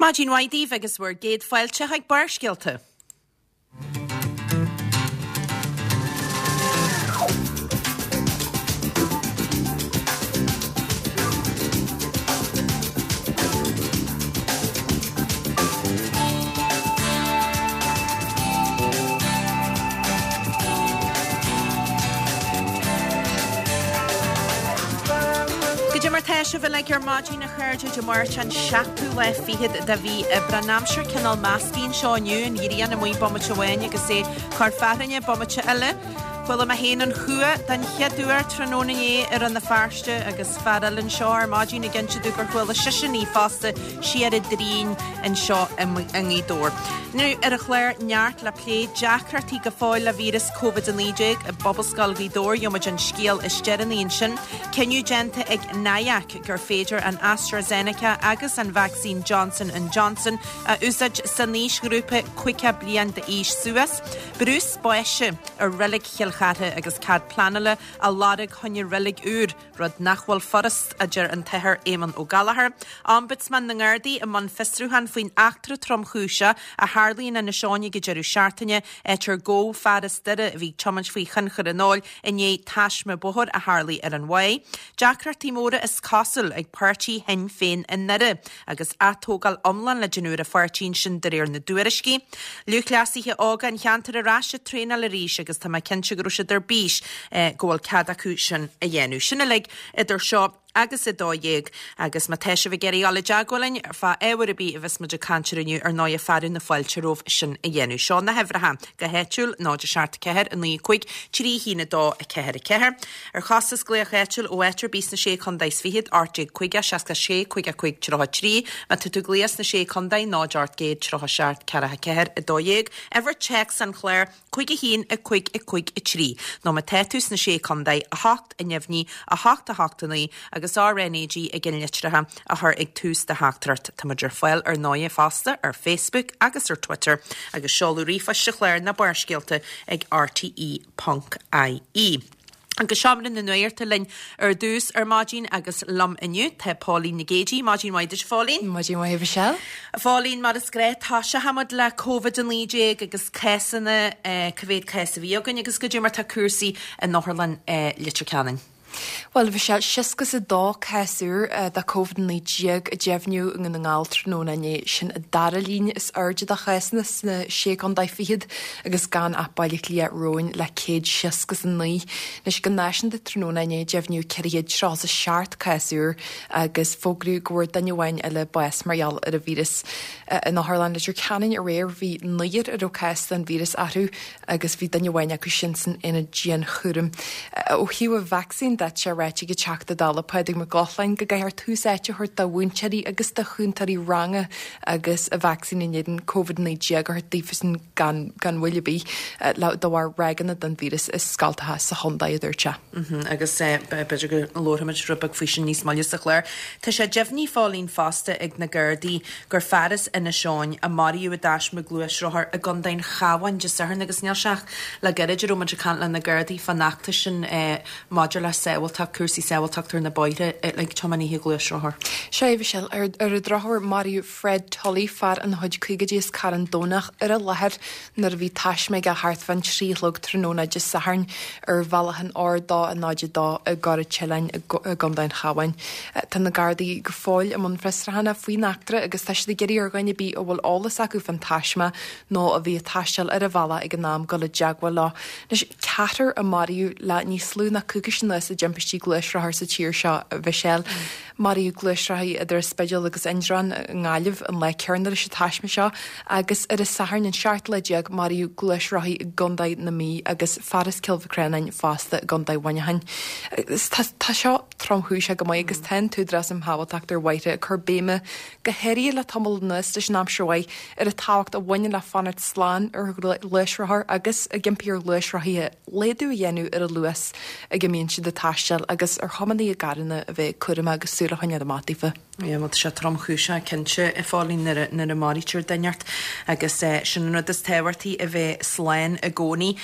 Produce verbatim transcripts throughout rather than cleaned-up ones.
Maidin mhaith daoibh agus bhur gcéad fáilte chuig Barrscéalta. Goidé mar tá sibh uilig ar maidin a chairde Dé Máirt an seachtú lá fichead de mhí Aibreán. Aimsir cineál measctha anseo inniu, an ghrian amuigh bomaite amháin agus é ag cur fearthainne bomaite eile. Chuala mé féin an chumha den chéad uair tráthnóna inné i Rann na Feirste agus fear eile anseo ar maidin ag inse domh gur chuala seisean í fosta siar i dTrínn anseo i nGaoth Dobhair. Inniu ar an chlár neart le plé, deacrachtaí go fóill le víreas Covid a naoi déag i bPobalscoil Ghaoth Dobhair, gheobhaimid an scéal is deireanaí ansin. Cinneadh déanta ag NIAC gur féidir an AstraZeneca agus an vacsaín Johnson and Johnson a úsáid san aoisghrúpa caoga bliain d'aois suas. Brú spáis ar reilig Chill Chartha agus cead pleanála á lorg choinne reilig úr. Rud nach bhfuil furast, a deir an tAthair Éamon Ó Gallchóir. Ombudsman na nGardaí i mbun fiosrúchán faoin eachtra tromchúiseach a tharla in Inis Eoghain ag an deireadh seachtaine, áit ar gabhadh fear as Doire a bhí ag tiomáint faoi thionchar an óil i ndiaidh taisme bóthair a tharlaigh ar an Mhaigh. Deacrachtaí móra is cosúil ag páirtí Shinn Féin i nDoire agus atógáil iomlán le déanamh ar an pháirtí ansin de réir na dtuairiscí. Lúthchleasaithe óga an cheantair ar ais ag traenáil arís agus tá mé cinnte go raibh siad ar bís go bhfuil cead acu sin a dhéanamh. Sin uilig idir seo agus a dó dhéag agus má tá sibh ag iarraidh dul i dteagmháil linn fá ábhar ar bith a bheas muid ag caint air inniu ar ndóigh fearadh na fáilte romhaibh sin a dhéanamh. Seo na huimhreacha go háitiúil, náid a seacht ceathair a naoi cúig trí haon a dó a ceathair a ceathair. Ar chostas glaoch áitiúil ó áit ar bith sna sé contae is fichead, ocht déag caoga seasca sé caoga cúig tríocha trí. Má tá tú ag glaoch sna sé contae, náid ocht gcéad tríocha seacht ceathracha ceathair a dó dhéag. Uimhir téacs an chláir, cúig a haon a cúig a cúig a trí. Nó má tá tú sna sé contae, a hocht a neamhní, a hocht a hocht a naoi agus R N A G i gcinnlitreacha a chur ag tús do theachtaireacht. Tá muid ar fáil ar ndóigh fosta ar Facebook agus ar Twitter agus seoladh ríomhphoist an chláir ná Barrscéalta ag R T E ponc I E. Agus seomra na nuachta linn ar dtús ar maidin agus liom inniu tá Póilín Nic Géidigh. Maidin mhaith duit, Phóilín. Maidin mhaith, Michelle. A Phóilín, mar is gnách, toiseochaimid le Covid a naoi déag agus cásanna, cá mhéad cás a bhí againn agus goidé mar tá cúrsaí in Otharlann Leitir Ceanainn. Bhuel, bhí sé seasca is a dó cás úr de Covid a naoi déag a deimhniú i nDún na nGall tráthnóna inné. Sin an dara líon is airde de chásanna sna sé contae fichead agus gan ach Baile Átha Cliath romhainn le céad seasca is a naoi. Anois go náisiúnta tráthnóna inné deimhniú ceithre chéad tríocha is a seacht cás úr agus fógraíodh go bhfuair duine amháin eile bás mar gheall ar an víreas. In Otharlann Leitir Ceanainn aréir bhí naonúr a raibh cás den víreas orthu agus bhí duine amháin acu sin san aonad dianchúraim. Ó thaobh an vacsaín de, tá sé ráite ag an Teachta Dála Pádraig Mac Lochlainn go gcaithfear tús áite a thabhairt do mhúinteoirí agus do chúntóirí ranga agus an vacsaín in éadan Covid naoi déag a thabhairt daofasan gan, gan mhoill ar bith le de bharr ráigeanna den víreas i scoltacha sa chontae, a dúirt sé. Agus b'fhéidir go labharfaimid rud beag faoi sin níos moille sa chlár. Tá sé deimhnithe, a Phóilín, fosta ag na Gardaí gur fear as Inis Eoghain a maraíodh i dtaisme gluaisrothair i gContae an Chabháin Dé Sathairn agus níl sé ach le gairid a raibh muid ag caint le na Gardaí fán fheachtas sin maidir le sábháilteacht, cúrsaí sábháilteachta ar na bóithre ag tiománaithe gluaisrothar. Sea, a Mhichelle, ar ar an drochuair maraíodh Fred Tully, fear ina chuid caogaidí as Carn Domhnach, ar an láthair nuair a bhí taisme aige thart fán trí a chlog tráthnóna Dé Sathairn ar bhealach an R dó a náid a dó i gCora Teileáin i gContae an Chabháin. Tá na Gardaí go fóill i mbun fiosrúcháin faoin eachtra agus tá siad ag iarraidh ar dhuine ar bith a bhfuil eolas acu fán taisme nó a bhí ag taisteal ar an bhealach ag an am dul i dteagmháil leo. Anois, ceathrar a maraíodh le níos lú ná coicís anuas i dtimpistí gluaisrothar sa tír seo, a Mhichelle. Maraíodh gluaisrothaí idir an Spidéal agus Indreabhán i nGaillimh an lá céanna leis an taisme seo agus ar an Satharn an seachtú lá déag maraíodh gluaisrothaí i gContae na Mí agus fear as Cill Mhic fosta i gContae Mhuineacháin. Tá tá seo tromchúiseach go maith agus tá an tÚdarás um Shábháilteacht ar Bhóithre ag cur béime go háirithe le tamall anuas leis an aimsir mhaith ar an tábhacht a bhaineann le fanacht slán ar ghluaisrothar agus ag impí ar ghluaisrothaithe laghdú a dhéanamh ar an luas ag a mbíonn siad ag taisteal agus ar thiománaithe i gcarranna a bheith cúramach agus súil a choinneáil amach daofa. Yeah, bhuel, tá sé tromchúiseach cinnte, a Phóilín, nuair a, nuair a maraítear duine ort agus eh, sin an rud is tábhachtaí a bheith slán i gcónaí.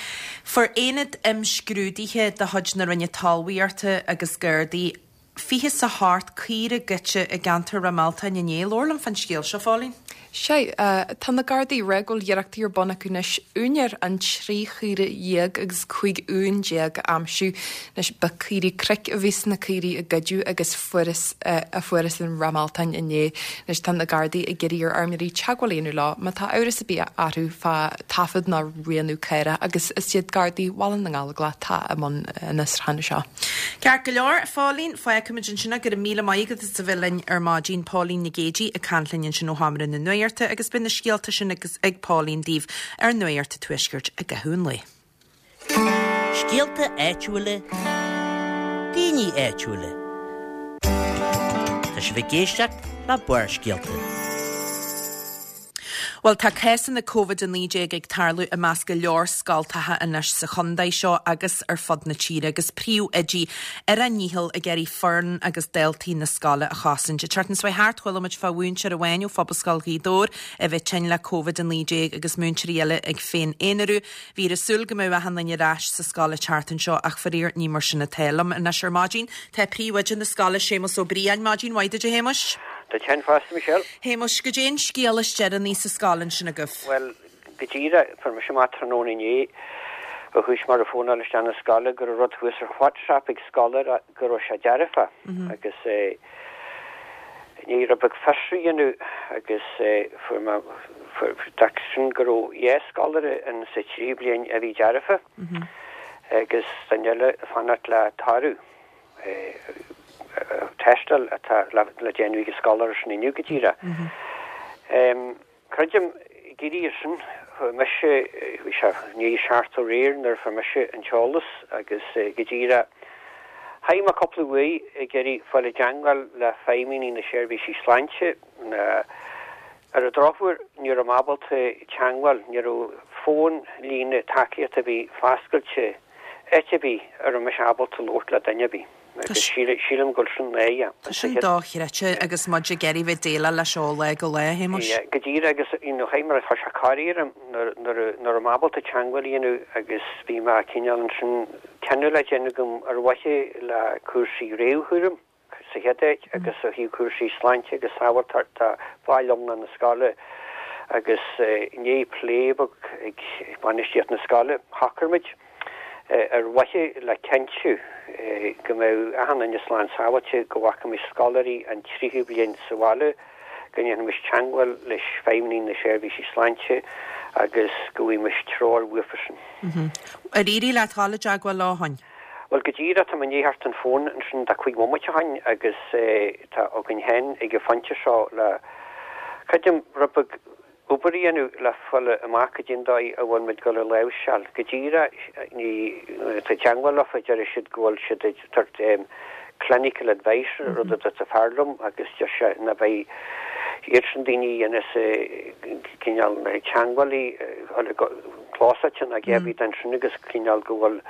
Fuair aonad imscrúdaithe de chuid na Roinne Talmhaíochta agus Gardaí fiche is a hocht caora goidte i gceantar Ráth Mealtain inné. Labhair liom fán scéal seo, Phóilín. Sé, tá na Gardaí ag rá go bhfuil iarrachtaí ar bun acu anois úinéir an trí chaora dhéag agus cúig uan déag a aimsiú. Anois ba caoirigh cnoic a bhí sna caoirigh a goideadh agus fuarthas a fuarthas in Ráth Mealtain inné. Anois tá na Gardaí ag iarraidh ar fheirmeoirí teagmháil a dhéanamh leo má tá amhras ar bith orthu fá taifead ná rianú caorach agus is iad Gardaí Bhaile na nGallóglach atá i mbun an fhiosrúcháin seo. Ceart go leor, a Phóilín, fágfaimid ansin go raibh míle maith agat as a bheith linn ar maidin Póilín Nic Géidigh ag caint linn ansin ó Sheomra na Nuachta agus beidh na scéalta sin agus ag Póilín daoibh ar Nuacht an Tuaiscirt i gcaitheamh an lae. Scéalta áitiúla, daoine áitiúla. Tá sibh ag éisteacht le Barrscéalta. Bhuel tá cásanna Covid a naoi déag ag tarlú i measc go leor scoltacha anois sa chontae seo agus ar fud na tíre agus príomhoidí ar a ndícheall ag iarraidh foireann agus daltaí na scoile a chosaint. An tseachtain seo thart chuala muid fá mhúinteoir amháin ó Phobalscoil Ghaoth Dobhair a bheith tinn le Covid a naoi déag agus múinteoirí eile ag féin-aonarú. Bhí ar súil go mbeadh achan duine ar ais sa scoil an tseachtain seo ach faraor ní mar sin atá liom. Anois ar maidin tá príomhoide na scoile Séamus Ó Briain maidin mhaith duit a Shéamuis. Tá ten fásta Michelle. Shéamuis goidé an scéal is deireanaí sa scoil ansin agaibh. Well go díreach fuair mise amach tráthnóna inné ó chuaigh mar a fónáil isteach na scoile go raibh rud thuas ar WhatsApp ag scoláire go raibh sé dearfa agus eh, ní raibh ag fiosrú dhéanamh agus eh, fuair mé sin go raibh dhá scoláire in sa trí bliain a bhí dearfa agus duine eile fanacht le toradh. Tástáil atá le le déanamh ag scoláire sin inniu go díreach. Creidim gírí sin mise bhí sé ní seart réir nuair fuair mise an t-eolas agus go díreach Chaith mé cúpla uair ag iarraidh fáil i dteagmháil le feidhmeannaigh na seirbhísí sláinte na ar an drochuair ní raibh mé ábalta teagmháil ní raibh fón líne tacaíochta a bhí foscailte áit ar bith a raibh mise ábalta labhairt le duine ar bith. Agus sílim go sin é. Tá sin dochreidte agus muid ag iarraidh bheith déileáil leis ó lá go lá a Shéamuis. Go díreach agus you mar tá sé corraithe nuair am ábalta teagmháil a dhéanamh agus bhí mé cineál ansin cinneadh le déanamh agam ar mhaithe le cúrsaí réamhchúraim sa chéad áit agus ó thaobh cúrsaí sláinte agus sábháilteachta bhaill iomlán na scoile agus i ndiaidh plé beag ag bainistíocht na scoile shocraigh muid ar mhaithe le cinntiú go mbeadh achan duine slán sábháilte go bhfágfaimis scoláirí an tríú bliain sa bhaile go ndéanfaimis teagmháil leis feidhmeannaigh na seirbhísí sláinte agus go bhfaighfimis treoir uafasan. Ar éirigh leat dul i dteagmháil leo ó shin? Well go díreach tá mé i ndiaidh theacht an fón ansin tá cúig bhomaite ó shin agus tá againn féin ag an phointe seo le creidim rud beag obair a dhéanamh le fáil amach go dtí an dóigh a bhfuil muid dul a láimhseáil. Go díreach ní tá teagmháil leofa deir siad go bhfuil siad ag tabhairt clinical advice rud a dúirt fear liom agus deir sé na beidh iad sin daoine a dhéanas cineál na teagmhálaí clósáilte na gceibí den sin agus cineál go bhfuil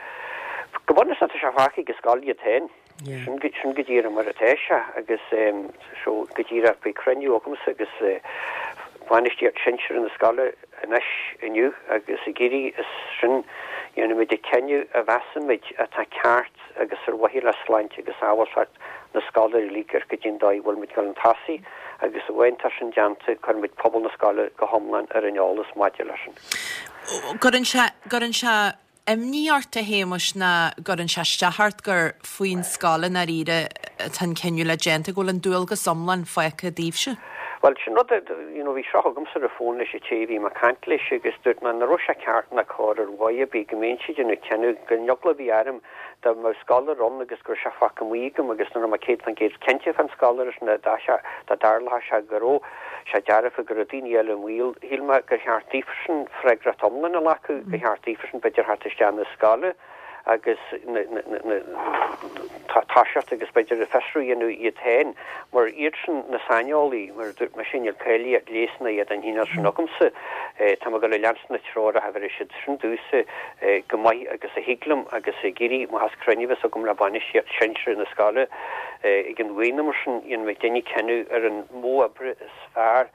go bunúsach tá sé fágtha ag an scoil iad féin. Sin go sin go díreach mar atá sé agus so go díreach beidh cruinniú agamsa agus bainistíocht sinsear na scoile anois inniu agus ag iarraidh is sin dhéanfaimid an cinneadh a mheasaimid atá ceart agus ar mhaithe le sláinte agus sábháilteacht na scoláirí uilig ar go dtí an dóigh a bhfuil muid dul chun tosaigh agus amháin tá sin déanta cuirfimid pobal na scoile go hiomlán ar an eolas maidir leis sin. Cuireann sé cuireann sé imní ort a Shéamuis ná cuireann sé isteach ort gur faoin scoil i ndáiríre atá an cinneadh le déanta go bhfuil an dualgas iomlán fágtha daoibhse. Well sin rud you know, bhí seo agamsa ar an fón leis an té bhí mé ag caint leis agus dúirt mé nach raibh sé ceart ná cóir ar mhaith ar bith go mbíonn siad ina cinneadh go n-eagla bhí orm dá mbeadh scoláire ann agus go raibh sé fágtha amuigh agam agus nach raibh mé céad faoin gcéad cinnte fán scoláire sin dá sé dá dtarlódh sé go raibh sé dearfa go raibh daoine eile i mbaol shíl mé gur cheart daofasan freagracht iomlán a ghlacadh gur cheart daofasan b'fhéidir theacht isteach na scoile agus toiseacht agus b'fhéidir a fiosrú dhéanamh iad féin mar iad sin na saineolaí mar dúirt mé sin níl cáilíocht leighis ná iad an chineál sin agamsa tá mé ag dul a leanstan na treoracha a bheir siad sin domhsa go maith agus a thig liom agus ag iarraidh má thás cruinniú bheas agam le bainistíocht sinsear na scoile ag an bhfaoin mar sin dhéanfaidh duine cinneadh ar an modh oibre is fearr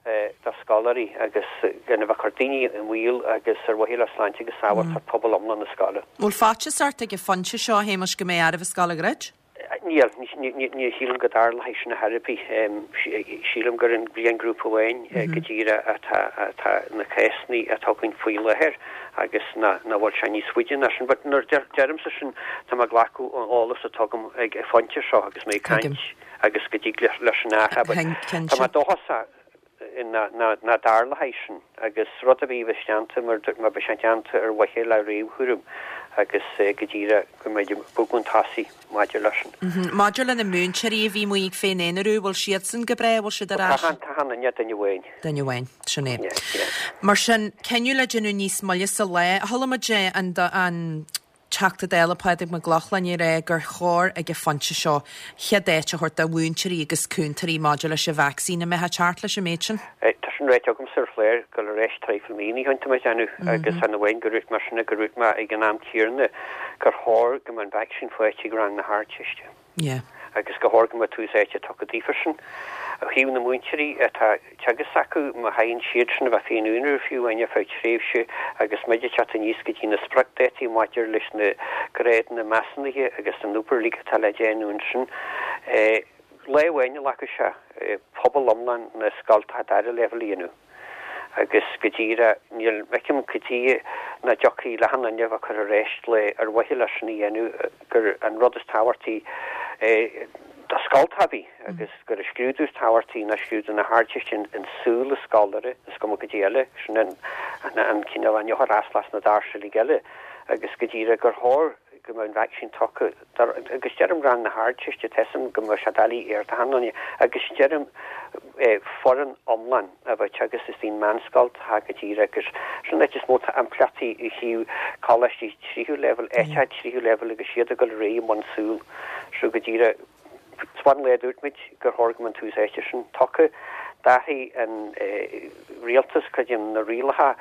do scoláirí agus gan a bheith ag cur daoine i mbaol agus ar mhaithe le sláinte agus sábháilteacht pobal iomlán na scoile. Bhfuil faitíos ort ag an phointe seo Shéamuis go mbeidh oraibh an scoil a dhruid? Níl, ní shílim go dtarlóidh sin ar chor ar bith. Sílim gur an bliainghrúpa amháin go díreach atá atá na cásanna atá againn faoi láthair agus nach bhfuil sé níos faide ná sin. But nuair a deirimse sin tá mé ag glacadh an eolas atá agam ag an phointe seo agus mé ag caint agus go dtig leis an athrú. But tá mé dóchasach nach dtarlóidh sin agus rud a bhí déanta mar mar bheadh sé déanta ar mhaithe le réamhchúram agus go díreach go mbeidh bogadh chun tosaigh maidir leis sin. Maidir le na múinteoirí a bhí amuigh fén aonarú, bhfuil siadsan go breá, bhfuil siad ar ais? Tá, tá, duine amháin. Duine amháin, sin é. Mar sin, cinneadh le déanamh níos moille sa lá. Chuala muid an an Teachta Dála Pádraig Mac Lochlainn ag rá gur chóir ag an phointe seo chéad áit a thabhairt do mhúinteoirí agus cúntóirí maidir leis an vacsaín. An mbeifeá ag teacht leis an méid sin? Tá sin ráite agamsa ar chlár go le réis traidhfil mí ó shin tá mé ag déanamh agus chan amháin go dúirt mé sin gur dhúirt mé ag an am céanna gur chóir go mbeadh an vacsaín faighte ag rang na hArdteiste. Yeah. Agus gur chóir go mbeadh tús áite tugtha daofa sin. Ó thaobh na múinteoirí atá teagasc acu, má thagann siad sin a bheith féin aonair fiú amháin ar feadh tréimhse agus muid ag teacht aníos go dtí na spriocdhátaí maidir leis na grádanna measúnaithe agus an obair uilig atá le déanamh ansin, lá amháin a ghlacfaidh sé pobal iomlán na scoltacha dara leibhéal a dhéanamh agus go díreach níl feicim cad chuige nach dtiocfaidh le haon duine a bheith curtha ar ais le ar mhaithe leis sin a dhéanamh gur an rud is tábhachtaí do scoltacha ar bith agus gur an scrúdú is tábhachtaí ná scrúdú na hArdteiste an saol an scoláire is cuma cad é eile, sin an an cineál an eochair leis na doirse uilig eile agus go díreach gur chóir go mbeadh an vacsaín tugtha agus deirim rang na hArdteiste tá a fhios agam go mbeadh sé doiligh ar achan duine agus deirim foireann iomlán a bheith teagasc istigh i meánscoltacha go díreach agus sin an áit is mó tá impleachtaí ó thaobh coláistí tríú leibhéal, áiteacha tríú leibhéal agus iad ag dul ar aghaidh i mbun súl so go díreach Ón lá a dúirt muid gur chóir go mbeadh an tús áite sin tugtha, d'athraigh an rialtas creidim na rialacha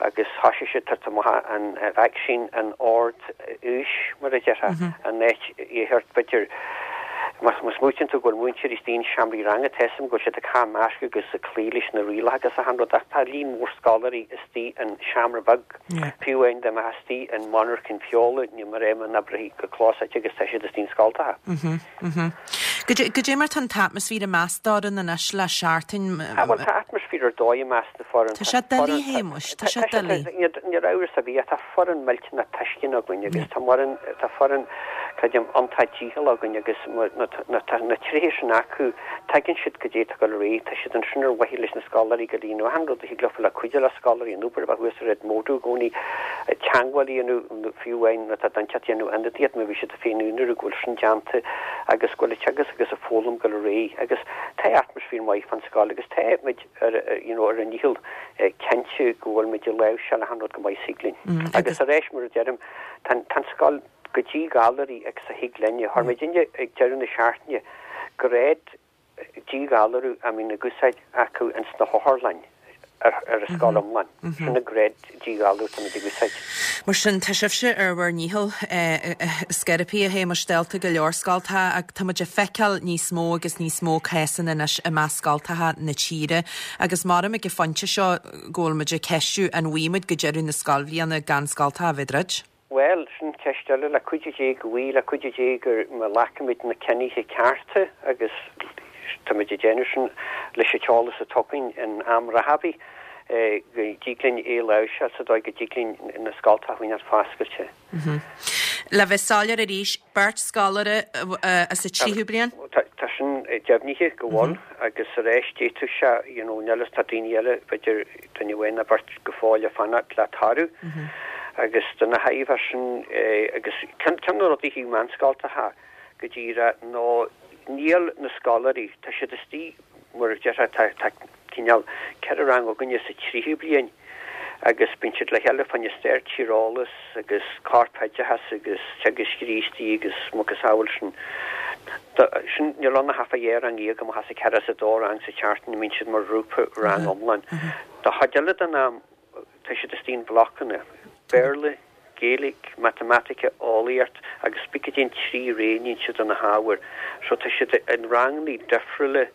agus thoisigh siad tabhairt amach an vacsaín in ord aois, mar a déarfá, an áit a b'fhéidir má smaoitíonn tú go bhfuil múinteoirí istigh in seomraí ranga, tá a fhios agam go bhfuil siad ag caitheamh masc agus ag cloí leis na rialacha agus achan rud ach tá líon mór scoláirí istigh in seomra beag, fiú amháin dá mbeifeá istigh in monarchain feola, ní mar é mar n-oibreofaí go clós agus tá siad istigh in scoltacha. Goidé mar tá an t-atmaisféar i measc d'fhoireann anois le seachtain? Ah bhuel tá atmaisféar ar dóigh i measc na foireann. Tá sé doiligh a Shéamuis, tá sé doiligh. Níl amhras ar bith ach tá foireann millteanach tuisceanach againn agus tá foireann, tá foireann creidim iontach dícheallach againn agus tá na tréithe sin acu, tuigeann siad goidé atá ag dul ar aghaidh, tá siad ansin ar mhaithe leis na scoláirí go líonadh achan rud a thig leofa le cuidiú le scoláirí an obair a bheith thuas ar Edmodo i gcónaí, teagmháil a dhéanamh fiú amháin má tá duine inteacht ag déanamh ionadaíocht má bhí siad féin aonair go bhfuil sin déanta agus go bhfuil an teagasc agus an fhoghlaim ag dul ar aghaidh agus tá atmaisféar maith fán scoil agus tá muid ar you know ar an ndícheall cinntiú go bhfuil muid ag láimhseáil achan rud go maith is thig linn. Agus arís mar a deirim tá tá an scoil go díghalraithe agus a thig linne. Chuir muidinne ag deireadh na seachtaine grád díghalarú a mbíonn ag úsáid acu ins na hotharlainn ar ar an scoil iomlán. Sin an grád díghalarú atá muid ag úsáid. Mar sin, tá sibhse ar bhur ndícheall scairpí a Shéamais dálta go leor scoltacha ach tá muid ag feiceáil níos mó agus níos mó cásanna anois i measc scoltacha na tíre agus maram ag an phointe seo go bhfuil muid ag ceistiú an bhfaighidh muid go deireadh na scoilbhliana gan scoltacha a bheith ag druid. Bhuel, sin ceist eile, le cuidiú Dé go bhfaighidh, le cuidiú Dé go má ghlacaimid na cinnithe cearta agus táimid ag déanamh sin leis an t-eolas atá againn in am reatha, go dtig linn é a láimhseáil sa dóigh go dtig linn na scoltacha a choinneáil foscailte. Le bheith soiléir arís, beirt scoláire as an tríú bliain? Tá sin deimhnithe go bhfuil agus arís d'fhéadfadh sé, you know, níl fhios, tá daoine eile, b'fhéidir duine amháin nó beirt go fóill ag fanacht le toradh. Agus do na hábhair sin, agus ceann de na rudaí faoi mheánscoltacha go díreach ná níl na scoláirí, tá siad istigh mar a déarfá, tá tá cineál ceithre rang againne sa tríú bliain agus bíonn siad le chéile fá choinne stair tíreolas agus corpoideachas agus teagasc Críostaí agus macasamhail sin. Sin níl ann ach fá dhá rang dhéag amach as an ceithre is a dó rang sa tseachtain a mbíonn siad mar ghrúpa rang iomlán. Don chuid eile den am Tá siad istigh in blocanna, Béarla, Gaeilge, Matamaitic, Eolaíocht agus b'fhéidir go dtéann trí roghnaíonn siad de na hábhair. So tá siad in ranganna difriúla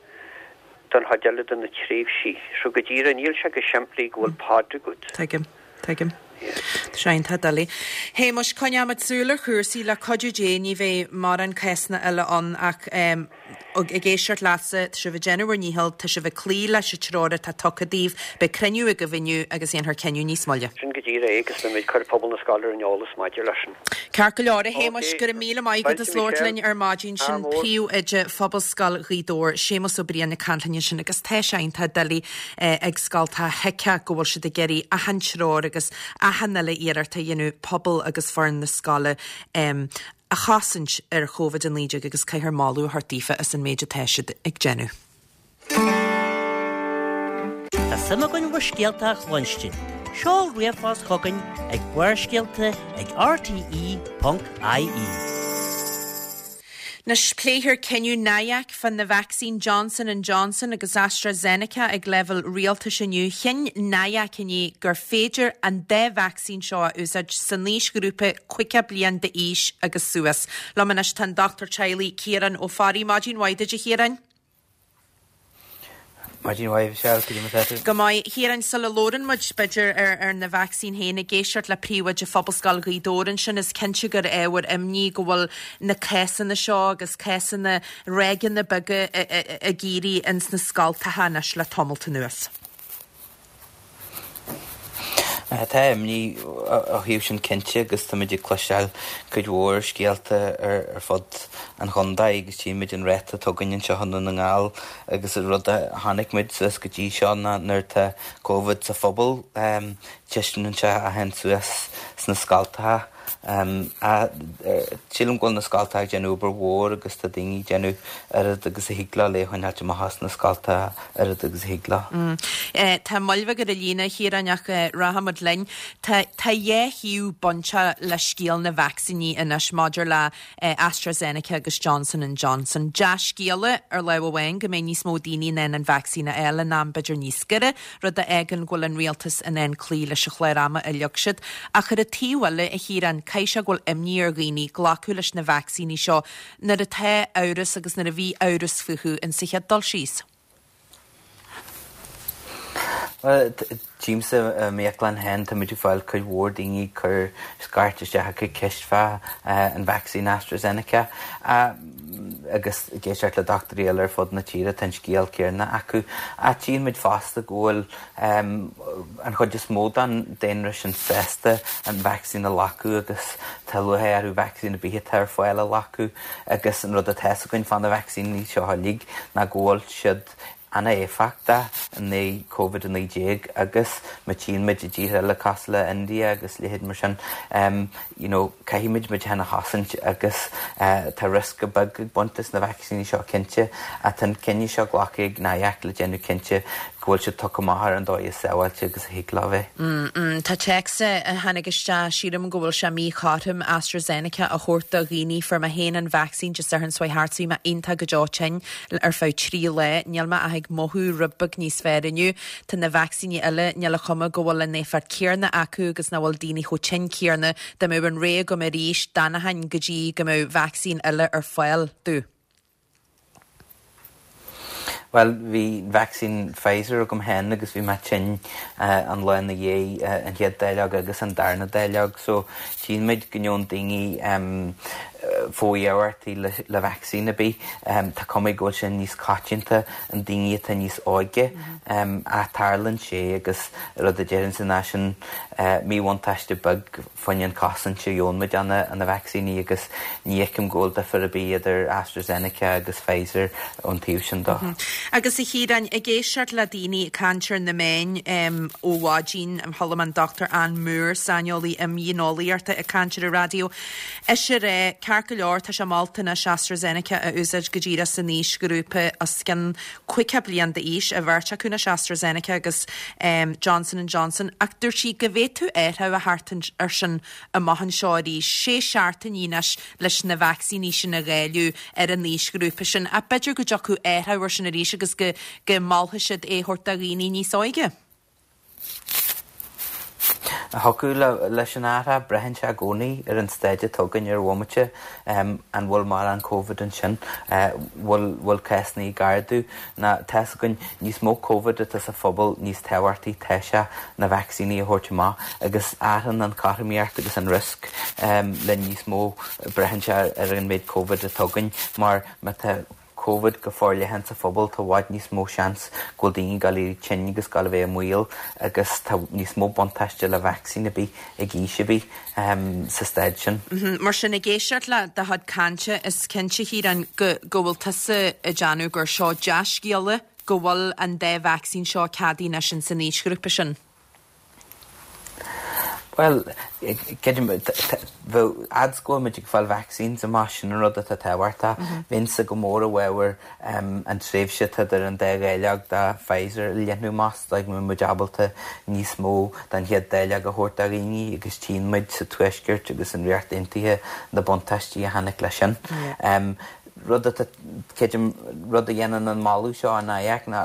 don chuid eile de na tréimhsí. So go díreach níl sé go simplí go bhfuil pod agat. Tuigim. Tuigim. Tá sé iontach doiligh. Shéamuis, coinneoimid súil ar chúrsaí le cuidiú Dé ní bheidh mórán cásanna eile ann ach ag éisteacht leatsa, tá sibh ag déanamh bhur ndícheall, tá sibh ag cloí leis an treoir atá tugtha daoibh, beidh cruinniú agaibh inniu agus dhéanfar cinneadh níos moille. Sin go díreach é agus beimid ag cur pobal na scoile ar an eolas maidir leis sin. Ceart go leor, a Shéamuis, go raibh míle maith agat as labhairt linn ar maidin. Sin Príomhoide Phobalscoil Ghaoth Dobhair, Séamus Ó Briain ag caint linn ansin agus tá sé iontach doiligh ag scoltacha thuigfeá go bhfuil siad ag iarraidh achan treoir agus achan uile iarracht a dhéanamh pobal agus foireann na scoile a chosaint ar Covid a naoi déag agus caithfear moladh a thabhairt daofa as an méid atá siad ag déanamh. Tá suim againn bhur scéalta a chluinstin. Seol ríomhphost chugainn ag Barrscéalta ag rte ponc ie. Anois pléifear cinneadh NIAC fá na vacsaín Johnson and Johnson agus AstraZeneca ag leibhéal rialtais inniu. Chinn NIAC inné gur féidir an dá vacsaín seo a úsáid san aoisghrúpa caoga bliain d'aois agus suas. Liom anois tá an dochtúir teaghlaigh Ciarán Ó Fearraigh. Maidin mhaith duit a Chiaráin. Maidin mhaith, Michelle, cad é mar atá tú? Go maith, Ciarán, sula labhrann muid b'fhéidir ar, ar na vacsaín féin ag éisteacht le príomhoide Phobalscoil Ghaoth Dobhair ansin, is cinnte gur ábhar imní go bhfuil na cásanna seo agus cásanna ráigeanna beaga ag éirí ins na scoltacha anois le tamalt anuas. Tá imní ó thaobh sin cinnte agus táimid ag cloisteáil cuid mhór scéalta ar fud an chontae agus tchímid an ráta atá againn anseo i nDún na nGall agus an rud a chonaic muid suas go dtí seo ná nuair atá Covid sa phobal titeann sé a théann suas sna scoltacha. Sílim go bhfuil na scoltacha ag déanamh obair mhór agus tá daoine ag déanamh oiread agus a thig leo le choinneáilt amach as na scoltacha oiread agus a thig leo. Tá moill bheag ar an líne, a Chiaráin, ach rachaimid linn. Tá tá dhá thaobh bainteach le scéal na vacsaíní anois maidir le AstraZeneca agus Johnson and Johnson. Dea-scéala ar lámh amháin go mbeidh níos mó daoine in ann an vacsaín a fháil in am b'fhéidir níos giorra, rud a fhágann go bhfuil an rialtas in ann cloí leis an chlár ama a leag siad. Ach ar an taobh eile, a Chiaráin, caithfidh sé go bhfuil imní ar dhaoine glacadh leis na vacsaíní seo nuair atá amhras agus nuair a bhí amhras fúthu in sa chéad dul síos. Bhuel, tchímse i m'íoclann féin, táimid ag fáil cuid mhór daoine ag cur scairt isteach ag ceist fá an vacsaín AstraZeneca agus ag éisteacht le dochtúirí eile ar fud na tíre, tá an scéal céanna acu. Ach tchíonn muid fosta go bhfuil an chuid is mó den daonra sin sásta an vacsaín a ghlacadh agus tá lúcháir orthu vacsaín ar bith atá ar fáil a ghlacadh agus an rud atá fhios againn fá na vacsaíní seo uilig ná go bhfuil siad an-éifeachtach in aghaidh Covid a naoi déag agus má tchíonn muid i dtíortha eile cosúil le India agus leithéid mar sin you know caithfidh muid muid féin a chosaint agus tá riosca beag ag baint leis na vacsaíní seo cinnte ach tá an cinneadh seo glactha ag NIAC le déanamh cinnte go bhfuil siad tugtha amach ar an dóigh is sábháilte agus a thig leo bheith. Tá téacs a tháinig isteach, sílim go bhfuil sé míchothrom AstraZeneca a thabhairt do dhaoine, fuair mé féin an vacsaín Dé Sathairn seo thart, bhí mé iontach go deo tinn ar feadh trí lá, níl mé ach ag mothú rud beag níos fearr inniu. Tá na vacsaíní eile, níl an chuma go bhfuil an éifeacht céanna acu agus nach bhfuil daoine chomh tinn céanna, dá mbeadh an rogha agam arís, d'fhanfainn go dtí go mbeadh vacsaín eile ar fáil domh. Bhuel, bhí vacsaín Pfizer agam féin agus bhí mé tinn an lá ina dhiaidh an chéad dáileog agus an darna dáileog so tchíonn muid go ngeobhann daoine fo-iarmhairtí le vacsaín ar bith. Tá cuma go bhfuil sé níos coitianta i ndaoine atá níos óige ach tarlaíonn sé agus rud a déarfainnse ná sin míbhuntáiste beag fá choinne an chosaint a gheobhann muid ó na vacsaíní agus ní fheicim go bhfuil difear ar bith idir AstraZeneca agus Pfizer ón taobh sin de. Agus a Chiaráin, ag éisteacht le daoine ag caint ar na meáin ó mhaidin, chuala mé an Dochtúir Ann Moore, saineolaí imdhíoneolaíochta ag caint ar an raidió, ise ag rá, ceart go leor, tá sé molta anois AstraZeneca a úsáid go díreach san aoisghrúpa os cionn caoga bliain d'aois, an bheirt acu anois, AstraZeneca agus Johnson and Johnson, ach dúirt sí go bhféadfadh athrú a theacht air sin amach anseo arís, sé seachtainí anois leis na vacsaíní sin a dháileadh ar an aoisghrúpa sin, ach b'fhéidir go dtiocfadh athrú air sin arís agus go go molfadh siad é a thabhairt do dhaoine níos óige. Thiocfadh leis an athrá, braitheann sé i gcónaí ar an staid atá againn ar bhomaite, an bhfuil mórán Covid ansin, bhfuil bhfuil cásanna ag ardú, ná tá's againn níos mó Covid atá sa phobal níos tábhachtaí tá sé na vacsaíní a thabhairt amach agus athraíonn an chothromaíocht agus an risk le níos mó braitheann sé ar an méid Covid atá againn mar má tá Covid go forleathan sa phobal, tá i bhfad níos mó seans go bhfuil daoine ag dul a éirí tinn agus ag dul a bheith i mbaol agus tá níos mó buntáiste le vacsaín ar bith ag aois ar bith sa staid sin. Mar sin, ag éisteacht le do chuid cainte, is cinnte, a Chiaráin, go go bhfuil tusa ag déanamh gur seo dea-scéala go bhfuil an dá vacsaín seo ceadaithe anois in san aoisghrúpa sin. Bhuel, creidim, bheadh fhad is go bhfuil muid ag fáil vaccines amach, sin an rud atá tábhachtach. Bheinnse go mór i bhfabhar an tréimhse atá idir an dá dháileog de Pfizer a leathnú amach so go mbeidh muid ábalta níos mó den chéad dáileog a thabhairt do dhaoine agus tchíonn muid sa Tuaisceart agus an Ríocht Aontaithe na buntáistí a tháinig leis sin. Rud atá, creidim, rud a dhéanann an moladh seo an-fháidheach ná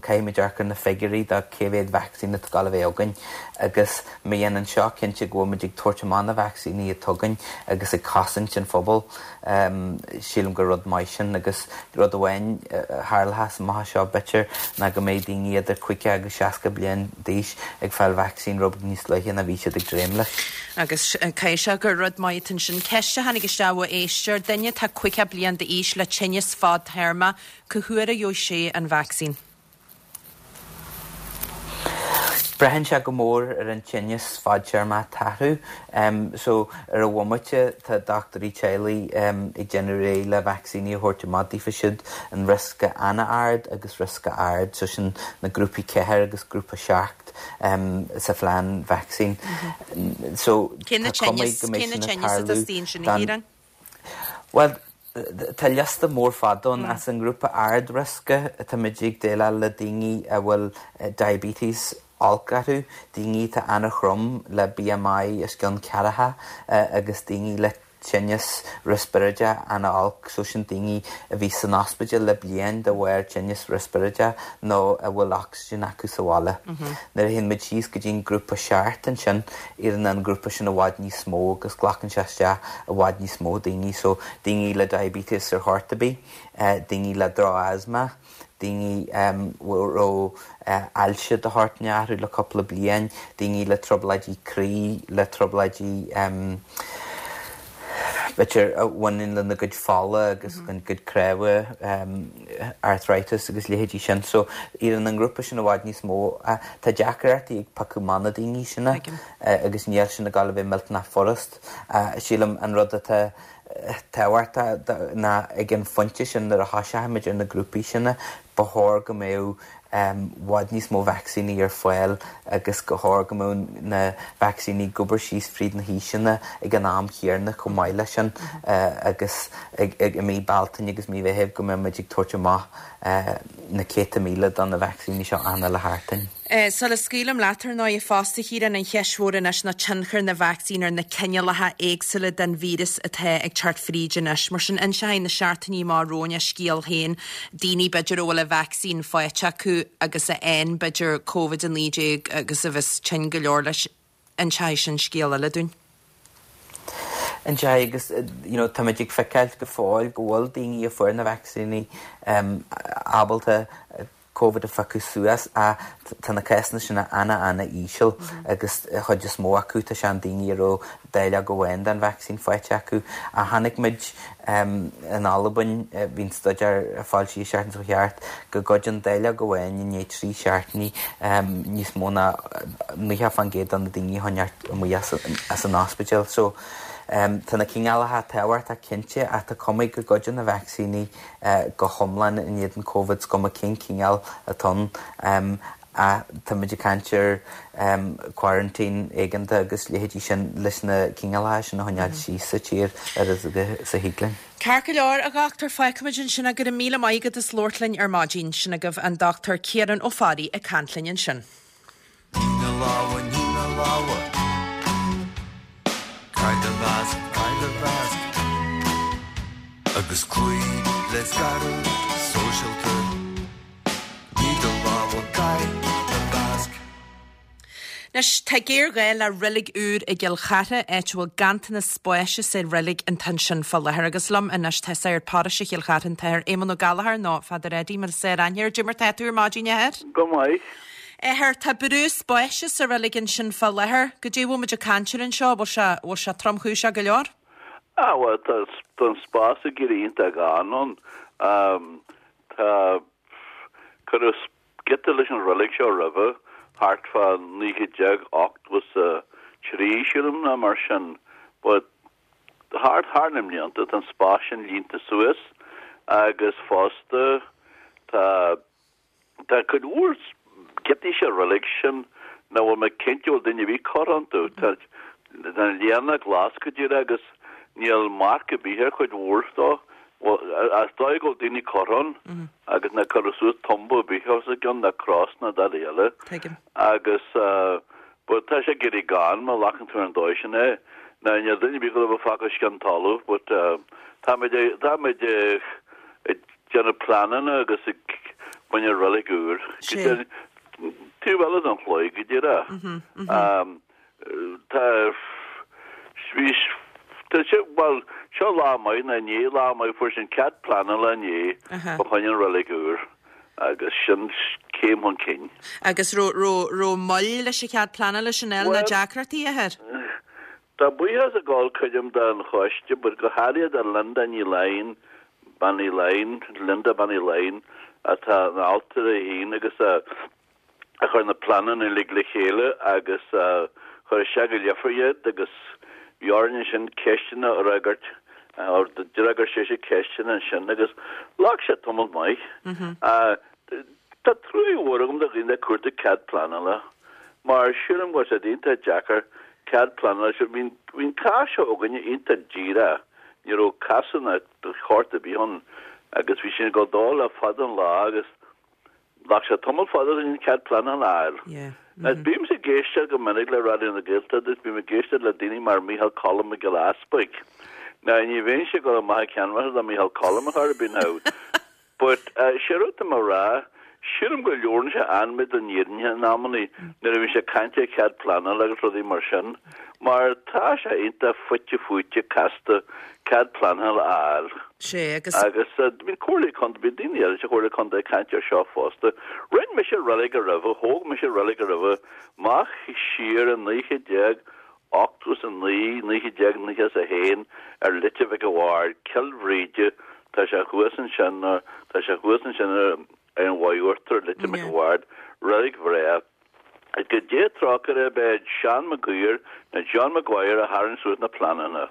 caithfimid amharc ar na figiúirí do cé mhéad vacsaín atá ag dul a bheith againn agus má dhéanann seo cinnte go bhfuil muid ag tabhairt amach na vacsaíní atá againn agus ag cosaint an phobail, sílim gur rud maith sin agus rud amháin a tharlóchas amach anseo b'fhéidir ná go mbeidh daoine idir caoga agus seasca bliain d'aois ag fáil vacsaín rud beag níos luaithe ná bhí siad ag dréim leis. Agus caithfidh sé gur rud maith atá ansin. Ceist a tháinig isteach ó éisteoir, duine atá caoga bliain d'aois le tinneas fadtéarma, cá huair a gheobhaidh sé an vacsaín? Braitheann sé go mór ar an tinneas fadtéarmach atá orthu. So, ar an bhomaite, tá dochtúirí teaghlaigh ag déanamh réidh le vacsaíní a thabhairt amach daofa siúd in riosca an-ard agus riosca ard, so sin na grúpaí ceathair agus grúpa seacht sa phlean vacsaín. So, Cé na tá cuma tinneas, go mbeidh cé na sin ag tinneas atá tarlú istigh ansin, a don Chiaráin? Bhuel, tá liosta mór fada ann. As an ngrúpa ard-riosca, táimid ag déileáil le daoine a bhfuil diabetes olc orthu, daoine atá an-throm le BMI os cionn ceathracha agus daoine le tinneas riospráide an-olc, so sin daoine a bhí san ospidéal le bliain de bharr tinneas riospráide nó a bhfuil ocsaigin acu sa bhaile. Nuair a théann muid síos go dtí an grúpa seacht ansin, éiríonn an grúpa sin i bhfad níos mó agus glacann sé isteach i bhfad níos mó daoine, so daoine le diabetes ar chor ar bith, daoine le droch-asthma, daoine a raibh ailse de shórt inteacht orthu le cúpla bliain, daoine le trioblóidí croí, le trioblóidí b'fhéidir a bhaineann lena gcuid fola agus a gcuid cnámha, arthritis agus leithéidí sin. So éiríonn an grúpa sin i bhfad níos mó. Tá deacrachtaí ag piocadh amach na daoine sin agus níl sin ag dul a bheith millteanach furast. Sílim an rud atá tábhachtach ná ag an phointe sin nuair a thoiseochaimid ar na grúpaí sin, ba chóir go mbeadh bhfad níos mó vacsaíní ar fáil agus go chóir go mbeadh na vacsaíní ag obair síos fríd na haoiseanna ag an am chéanna chomh maith leis sin agus i mí Bealtaine agus mí Mheithimh go mbeadh muid ag tabhairt amach na céadta míle de na vacsaíní seo achan uile sheachtain. Sula scaoilim leat ar ndóigh fosta, a Chiaráin, an cheist mhór anois ná tionchar na vacsaín ar na cineálacha éagsúla den víreas atá ag teacht fríd anois. Mar sin, inseoidh na seachtainí amach romhainn a scéal féin, daoine b'fhéidir a bhfuil an vacsaín faighte acu agus a fhaigheann b'fhéidir Covid a naoi déag agus a bheas tinn go leor leis, inseoidh sin scéal eile dúinn. Inseoidh agus you know táimid ag feiceáil go fóill go bhfuil daoine a fuair na vacsaíní ábalta Covid a phiocadh suas ach tá na cásanna sin ana-ana-íseal agus an chuid is mó acu tá sé an daoine a raibh dáileog amháin den vacsaín faighte acu. Ach chonaic muid in Albain, bhí an staidéar foilsithe an tseachtain seo thart, go gcuidíonn dáileog amháin i ndiaidh trí seachtainí níos mó ná naocha fán gcéad de na daoine a choinneáil amuigh as an ospidéal. So tá na cineálacha tábhachtach cinnte ach tá cuma go gcuidíonn na vacsaíní go hiomlán in éadan Covid, is cuma cén cineál atá ann. Ach táimid ag caint ar quarantine éigeantach agus leithéidí sin leis na cineálacha sin a choinneáil síos sa tír oiread agus a thig linn. Ceart go leor, a dhochtúir, fágfaimid ansin é. Go raibh míle maith agat as labhairt linn ar maidin. Sin agaibh an Dochtúir Ciarán Ó Fearraigh ag caint linn ansin. Nigh na lámha, nigh na lámha. Caith do mhasc, caith do mhasc. Agus cloígh le scaradh sóisialta. Nigh do lámha, caith do mhasc. Anois, tá géarghá le reilig úr i gCill Chartha, áit a bhfuil ganntanas spáis sa reilig an t-ansin fá láthair. Agus liom anois tá Sagart Paróiste Chill Chartha, an tAthair Éamonn Ó Gallchóir, nó Father Eddie mar is fearr aithne air. Cad é mar tá tú ar maidin, a Athair? Go maith. Athair, tá brú spáis sa reilig ansin fá láthair. Goidé a bhfuil muid ag caint air anseo, bhfuil sé, bhfuil sé tromchúiseach go leor? Ah, bhuel, tá, tá an spás ag éirí iontach gann ann. Tá, cuireadh giota leis an reilig seo roimhe, thart fá naoi gcéad déag ochtó is a trí, sílim, nó mar sin. But thart thar na mblianta tá an spás sin líonta suas agus fosta tá tá cuid mhór giotaí sa reilig sin nach bhfuil mé cinnte bhfuil duine ar bith curtha iontu. Tá tá an léana glas go díreach agus níl marc ar bith ar chuid mhór dó. Bhuel, is dóigh go bhfuil daoine curtha ann agus nár cuireadh suas tumba ar bith os a gcionn ná cros ná dadaí eile. Tuigim. Agus but tá sé ag éirí gann má ghlacann tú ar an dóigh sin é. Now níl duine ar bith go bhfuil fágtha os cionn talamh but táimid táimid ag déanamh pleananna agus ag baint reilig úr. Sé. Taobh eile den chlaí go díreach. Tá bhí tá sé bhuel seo lá maith nó inné lá maith fuair sin cead pleanála inné fá choinne an reilig úr agus sin céim chun cinn. Agus raibh raibh raibh moill leis an chead pleanála sin eile ná deacrachtaí a Athair? Tá buíochas ag gabháil creidim don choiste but go háirithe do Linda Ní Laighin, Bean Uí Laighin, Linda Bean Uí Laighin atá ina ailtire féin agus a a chuir na pleananna uilig le chéile agus a chuir isteach go Leifear iad agus bhí orainn ansin ceisteanna a fhreagairt, d'fhreagair sise ceisteanna ansin agus ghlac sé tamall maith. Tá trua mhór agam do dhaoine ag cuartú cead pleanála mar sílim go bhfuil sé iontach deacair cead pleanála, bhí an cás seo againne iontach díreach, ní raibh casadh de shórt ar bith ann agus bhí sin ag dul dó le fada an lá agus Ghlac sé tamall fada an cead pleanála a fháil. Now bímse ag éisteacht go minic le Raidió na Gaeltachta agus bím ag éisteacht le daoine mar Micheál Colm Mac Giolla Easpaig. Now ní bheinnse ag dul amach ag ceannbhaithe le Micheál Colm ar chor ar bith now. But sé rud atá mé a rá, sílim go labhrann sé an-mhaith don fhírinne in amannaí nuair a bhíonn sé ag caint ar chead pleanála agus rudaí mar sin, mar tá sé iontach fite fuaite casta cead pleanála a fháil. Sé, agus. Agus bíonn comhairle contae, bíonn daoine eile sa chomhairle contae ag caint ar seo fosta. Rinne mise reilig roimhe, thóg mise reilig roimhe, amach siar i naoi chéad déag ochtó is a naoi, naoi chéad déag nócha is a haon ar Leitir Mhic a' Bhaird, Cill Bhríde, tá sé thuas ansin, tá sé thuas ansin ar an Mhaigh Uachtair, Leitir Mhic a' Bhaird, reilig bhreá. Go Dé trócaire air b'é Seán Mac Guidhir nó John Maguire a tharraing suas na pleananna.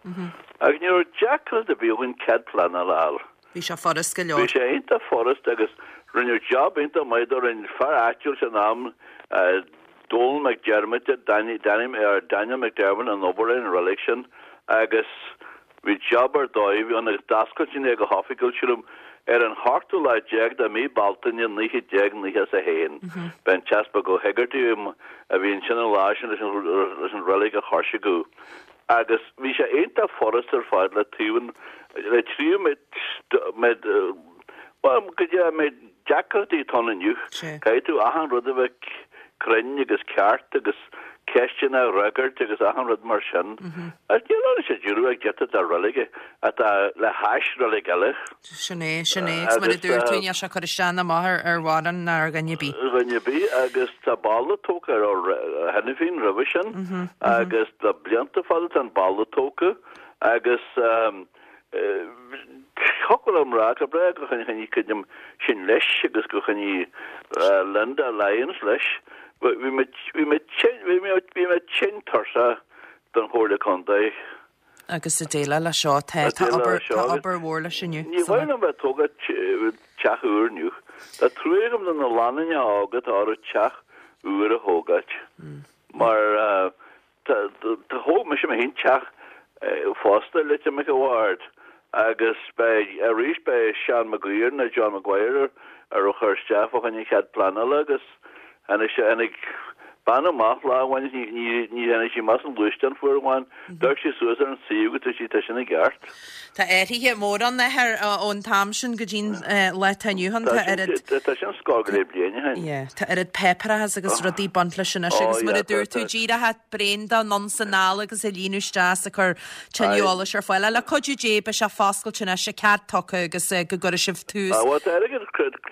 Agus ní raibh deacracht ar bith againn cead pleanála a fháil. Bhí sé furast go leor. Bhí sé iontach furast agus rinneadh job iontach maith de. Rinne fear áitiúil san am, Donal McDermott, Danny, Danny, or Daniel McDermott an obair ar an reilig sin agus Bhí job ar dóigh ann agus d'oscail sin é go hoifigiúil, sílim, ar an hochtú lá déag de mhí Bealtaine naoi chéad déag nócha is a haon. B'é an tEaspag Ó hEigeartaigh a bhí ansin an lá sin leis an reilig a choisriceadh. Agus bhí sé iontach furast ar fad le taobh an, le tríú méid, méid, bhuel, go dtí an méid deacrachtaí atá ann inniu. Caithfidh tú achan rud a bheith cruinn agus ceart agus ceisteanna a fhreagairt agus achan rud mar sin. Ach níl ann sa deireadh ach giota de reilig atá le hais reilig eile. Sin é, sin é. Agus mar a dúirt tú, níl sé ag cur isteach ná amach ar ar mhórán ná ar dhuine ar bith. Dhuine ar bith agus tá balla tógtha ar cheana féin roimhe sin agus le blianta fada tá an balla tógtha agus Thiocfadh liom rá gur breá gur choinnigh cuid sin leis agus gur choinnigh Linda Lyons leis. Bhí mé bhí mé tinn bhí mé bhí mé tinn tuirseach don Chomhairle Contae. Agus ag déileáil leis seo tá tá obair tá obair mhór leis inniu. Ní mhaith liom bheith ag tógáil teach úr inniu. Tá trua agam do na lánúineacha óga atá orthu teach úr a thógáilt mar Tá thóg mise mé féin teach fosta i Leitir Mhic a' Bhaird agus beidh arís beidh Seán Maguire nó John Maguire a raibh chur isteach fá choinne cead pleanála agus tháinig sé tháinig Bean amach lá amháin is ní ní tháinig sí amach as an ghluaisteán fuair amháin, d'amharc sí suas ar an suíomh agus dúirt sí tá sin i gceart. Tá athruithe móra ann athair ón t-am sin go dtí'n lá atá inniu ann. Tá oiread. Tá sin scór go leith bliain ó shin. Yeah, tá oiread páipéarachas agus rudaí ag baint leis anois agus mar a dúirt tú díreach braon de anonn is anall agus ag líonadh isteach is ag cur tuilleadh eolais ar fáil. Le cuidiú Dé beidh sé foscailte anois, cead tugtha agus go gcuirfidh sibh tús. Bhuel tá airgead,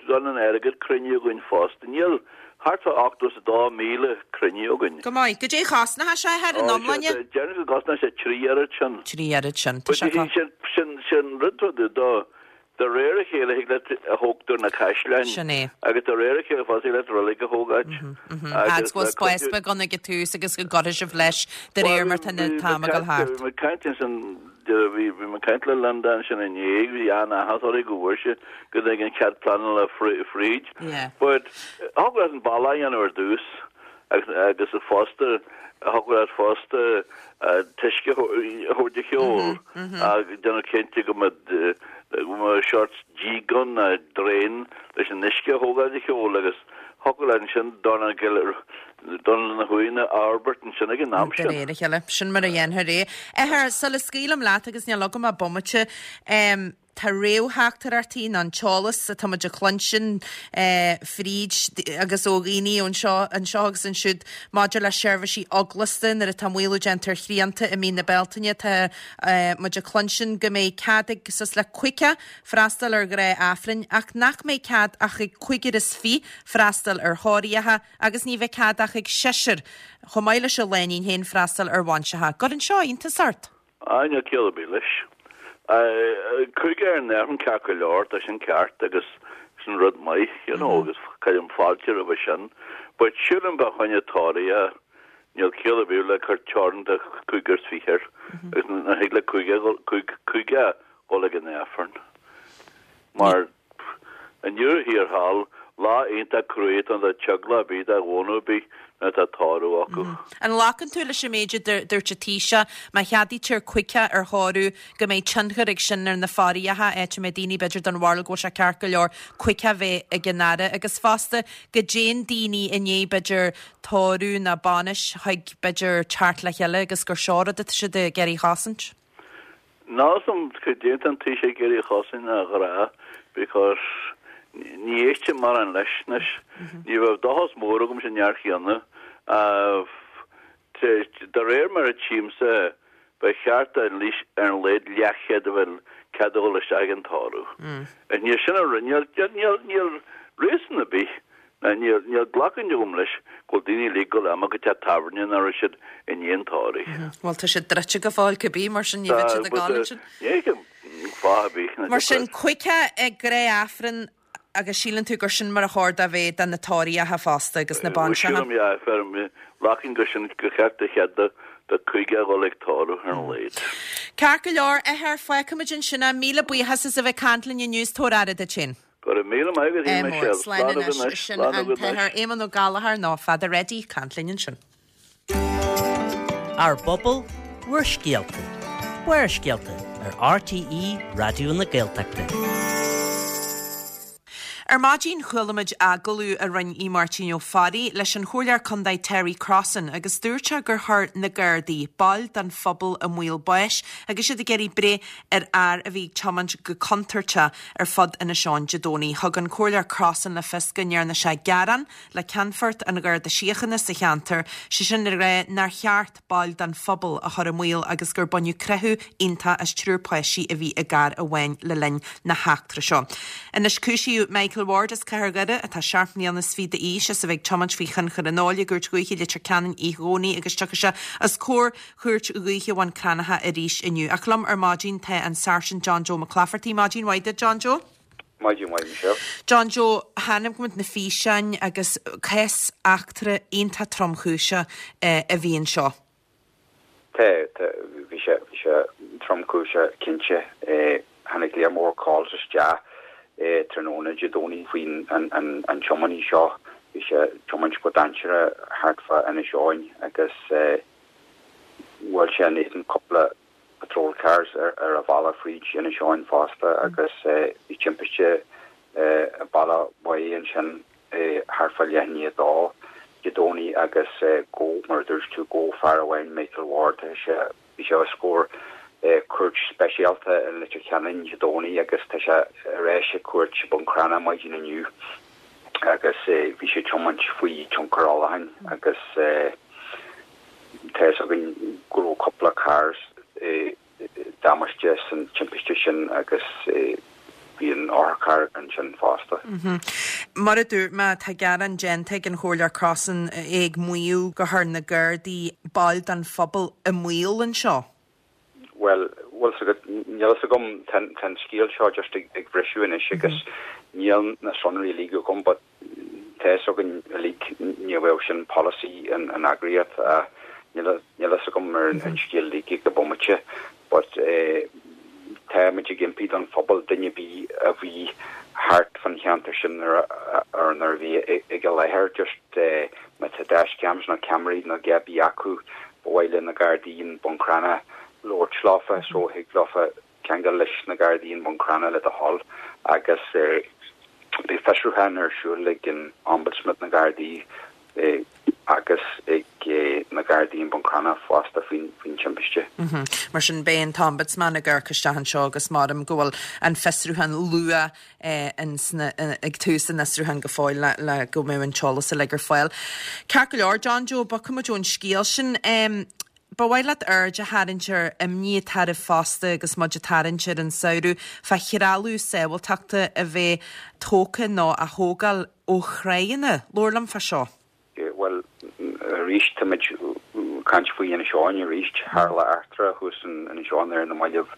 an airgead cruinnithe againn fosta. Níl Thart fá ochtó is a dó míle cruinnithe againn. Go maith. Goidé a chosnóidh sé ar an iomláine? Déarfainn go gcosnóidh sé trí oiread sin. Trí oiread sin. Tá sé co. Sin, sin, sin rud rud do, de réir a chéile thig leat a thógtar na caisleáin. Sin é. Agus de réir a chéile fosta thig leat reilig a thógáint. Agus go bhfuil spás beag ann ag an tús agus go gcuirfidh sibh leis de réir mar tá an t-am ag dul thart. Bhí mé ag caint ansin, bhí mé ag caint le Linda ansin inné, bhí an-áthas uirthi go bhfuair sí go dtig an cead pleanála fríd. But thig leat an balla a dhéanamh ar dtús agus agus fosta thig leat fosta t-uisce a thabhairt a sheol agus déanamh cinnte go mbeadh go mbeadh sórt díog ann nó drain leis an uisce a thógáil de sheol agus thig leat ansin dornán dornán na huaigheanna a fhorbairt ansin ag an am De sin. réir a chéile. Sin mar a dhéanfar é. Athair, sula scaoilim leat agus níl agam ach bomaite, tá réamhtheachtaireachtaí nó an t-eolas atá muid a chluinstin fríd agus ó dhaoine anseo anseo agus ansiúd maidir le seirbhísí eaglasta nuair atá maolú déanta ar shrianta i mí na Bealtaine. Tá muid a chluinstin go mbeidh cead ag suas le caoga freastal ar ghnáth-Aifrinn ach nach mbeidh cead ach ag cúigear is fiche freastal ar thórraimh agus ní bheidh cead ach ag seisear, chomh maith leis an lánúin féin, freastal ar bhainseacha. Gcuireann seo iontas ort? Á, níl ciall ar bith leis. Cúigear ar an Aifreann ceart go leor, tá sin ceart agus sin rud maith, you know, agus cuirim fáilte roimhe sin. But sílim fá choinne tórraimh, níl ciall ar bith le cur teorainn de chúigear is fiche air agus nach thig le cúigear, cúigear dhul ag an Aifreann. Mar i ndeireadh thiar thall, lá iontach cruaidh atá ann do theaghlach ar bith, do ghnó ar bith nuair atá tórramh acu. An nglacann tú leis an méid a dúirt an Taoiseach, má cheadaítear caoga ar thórramh, go mbeidh tionchar ag sin ar na fothracha, áit a mbeidh daoine b'fhéidir den bharúil go bhfuil sé ceart go leor caoga a bheith ag an fhaire, agus fosta go dtéann daoine i ndiaidh b'fhéidir tórramh nó bainis chuig b'fhéidir teacht le chéile agus gur seo rud atá siad ag iarraidh a chosaint? Níl a fhios agam cad é atá an Taoiseach ag iarraidh a chosaint ná a rá because ní éistim mórán leis anois. Ní bheadh dóchas mór agam san fhear chéanna. De réir mar a tchímse, ba cheart ar an laghad leathchéad a bheith cead a dhul isteach ag an tórramh. Níl sin a rinne, níl, níl réasún ar bith Ná níl, níl glacadh agam leis go bhfuil daoine uilig ag dul amach go teach tábhairne nach raibh siad i ndiaidh an tórraimh. Bhuel, tá siad druidte go fóill cibé, mar sin ní bheidh siad ag gabháil ansin. Ní fheicim fáth ar bith. Mar sin, caoga ag gnáth-Aifreann agus síleann tú gur sin mar a chóir dó bheith do na tórraimh fosta agus na bainseacha? Sílim, yeah, fear, glacaim gur sin, gur cheart do chead do, do caoga a dhul ag tórramh ar an laghad. Ceart go leor, a athair, fágfaimid ansin é. Míle buíochas as a bheith ag caint linn inniu is tabhair aire duit féin. Go raibh míle maith agat, a Michelle. Slán anois. Sin an tAthair Éamonn Ó Gallchóir nó Father Eddie ag caint linn ansin. Ár bpobal, bhur scéalta. Barrscéalta ar RTÉ Raidió na Gaeltachta. Ar maidin chuala muid agallamh a rinne Aodh Máirtín Ó Fearraigh leis an Chomhairleoir Contae Terry Crossan agus dúirt sé gur chuir na Gardaí baill den phobal i mbaol báis agus iad ag iarraidh breith ar fhear a bhí ag tiomáint go contúirteach ar fud Inis Eoghain Dé Domhnaigh. Thug an Comhairleoir Crossan le fios go ndearna sé gearán le Ceannfort an Gharda Síochána sa cheantar, sé sin le rá nár cheart baill den phobal a chur i mbaol agus gur baineadh croitheadh iontach as triúr páistí a bhí i gcarr amháin le linn na heachtra seo. Anois cúisíodh Michael Ward as Cathair Dhoire, atá seacht mbliana is fiche d'aois, as a bheith ag tiomáint faoi thionchar an óil i gCúirt Dhúiche Leitir Ceanainn oíche Dhomhnaigh agus tiocfaidh sé os comhair Chúirt Dhúiche Bhun Cranncha arís inniu. Ach liom ar maidin tá an Sáirsint John Joe Mac Laifeartaigh. Maidin mhaith duit, John Joe. Maidin mhaith, Michelle. John Joe, chonaic muid na físeáin agus cás eachtra iontach tromchúiseach a bhí anseo. Tá, tá, bhí sé, bhí sé tromchúiseach cinnte. Tháinig léar mór calls isteach tráthnóna Dé Domhnaigh faoin an, an, an tiománaí seo. Bhí sé ag tiomáint go dainséarach thart fá Inis Eoghain agus bhuail sé in éadan cúpla patrol cars ar ar a bhealach fríd Inis Eoghain fosta agus bhí timpiste i Bealach Bhaigh ansin thart fá leath i ndiaidh a dó. Dé Domhnaigh agus gabhadh, mar a dúirt tú, gabhadh fear amháin, Michael Ward, tá sé, bhí sé os comhair cúirt speisialta i Leitir Ceanainn Dé Domhnaigh agus tá sé ar ais ag cúirt i Bun Cranncha maidin inniu agus bhí sé ag tiomáint faoi tionchar ólacháin agus tá fhios againn go raibh cúpla carr damáiste san timpiste sin agus bhí an otharcharr ansin fosta. Mar a dúirt mé, tá gearán déanta ag an Chomhairleoir Crossan, é ag maíomh gur chuir na Gardaí baill den phobal i mbaol anseo. Bhuel, bhfuil fhios agat, níl fhios agam, tá an scéal seo just ag briseadh anois agus níl na sonraí uilig agam but tá fhios againn uilig ní bheadh sin polasaí an eagraíocht ach níl fhios agam ar an scéal uilig ag an bomaite but táimid ag impí don phobal duine ar bith a bhí thart fan cheantar sin nuair a nuair a bhí ag an láthair just má tá dashcams nó ceamaraí nó a dhath ar bith acu ba mhaith le na Gardaí in Bun Cranncha labhairt leofa so thig leofa ceangal leis na Gardaí in Bun Cranncha le do thoil agus beidh fiosrúchán ar siúl ag an Ombudsman na Gardaí agus ag na Gardaí in Bun Cranncha fosta faoin faoin timpiste. Mar sin beidh an tOmbudsman ag amharc isteach anseo agus maram go bhfuil an fiosrúchán luath ag tús an fhiosrúcháin go fóill le le go mbeidh an t-eolas uilig ar fáil. Ceart go leor, John Joe, bogfaidh muid ón scéal sin. Ba mhaith leat aird a tharraingt ar imní atá oraibh fosta agus muid ag tarraingt ar an samhradh fá threalamh sábháilteachta a bheith tógtha nó á thógáil ó thráigheanna. Labhair liom fá seo. Bhuel, arís, táimid ag caint faoi Inis Eoghain arís. Tharla eachtra thuas in Inis Eoghain ar na mallaibh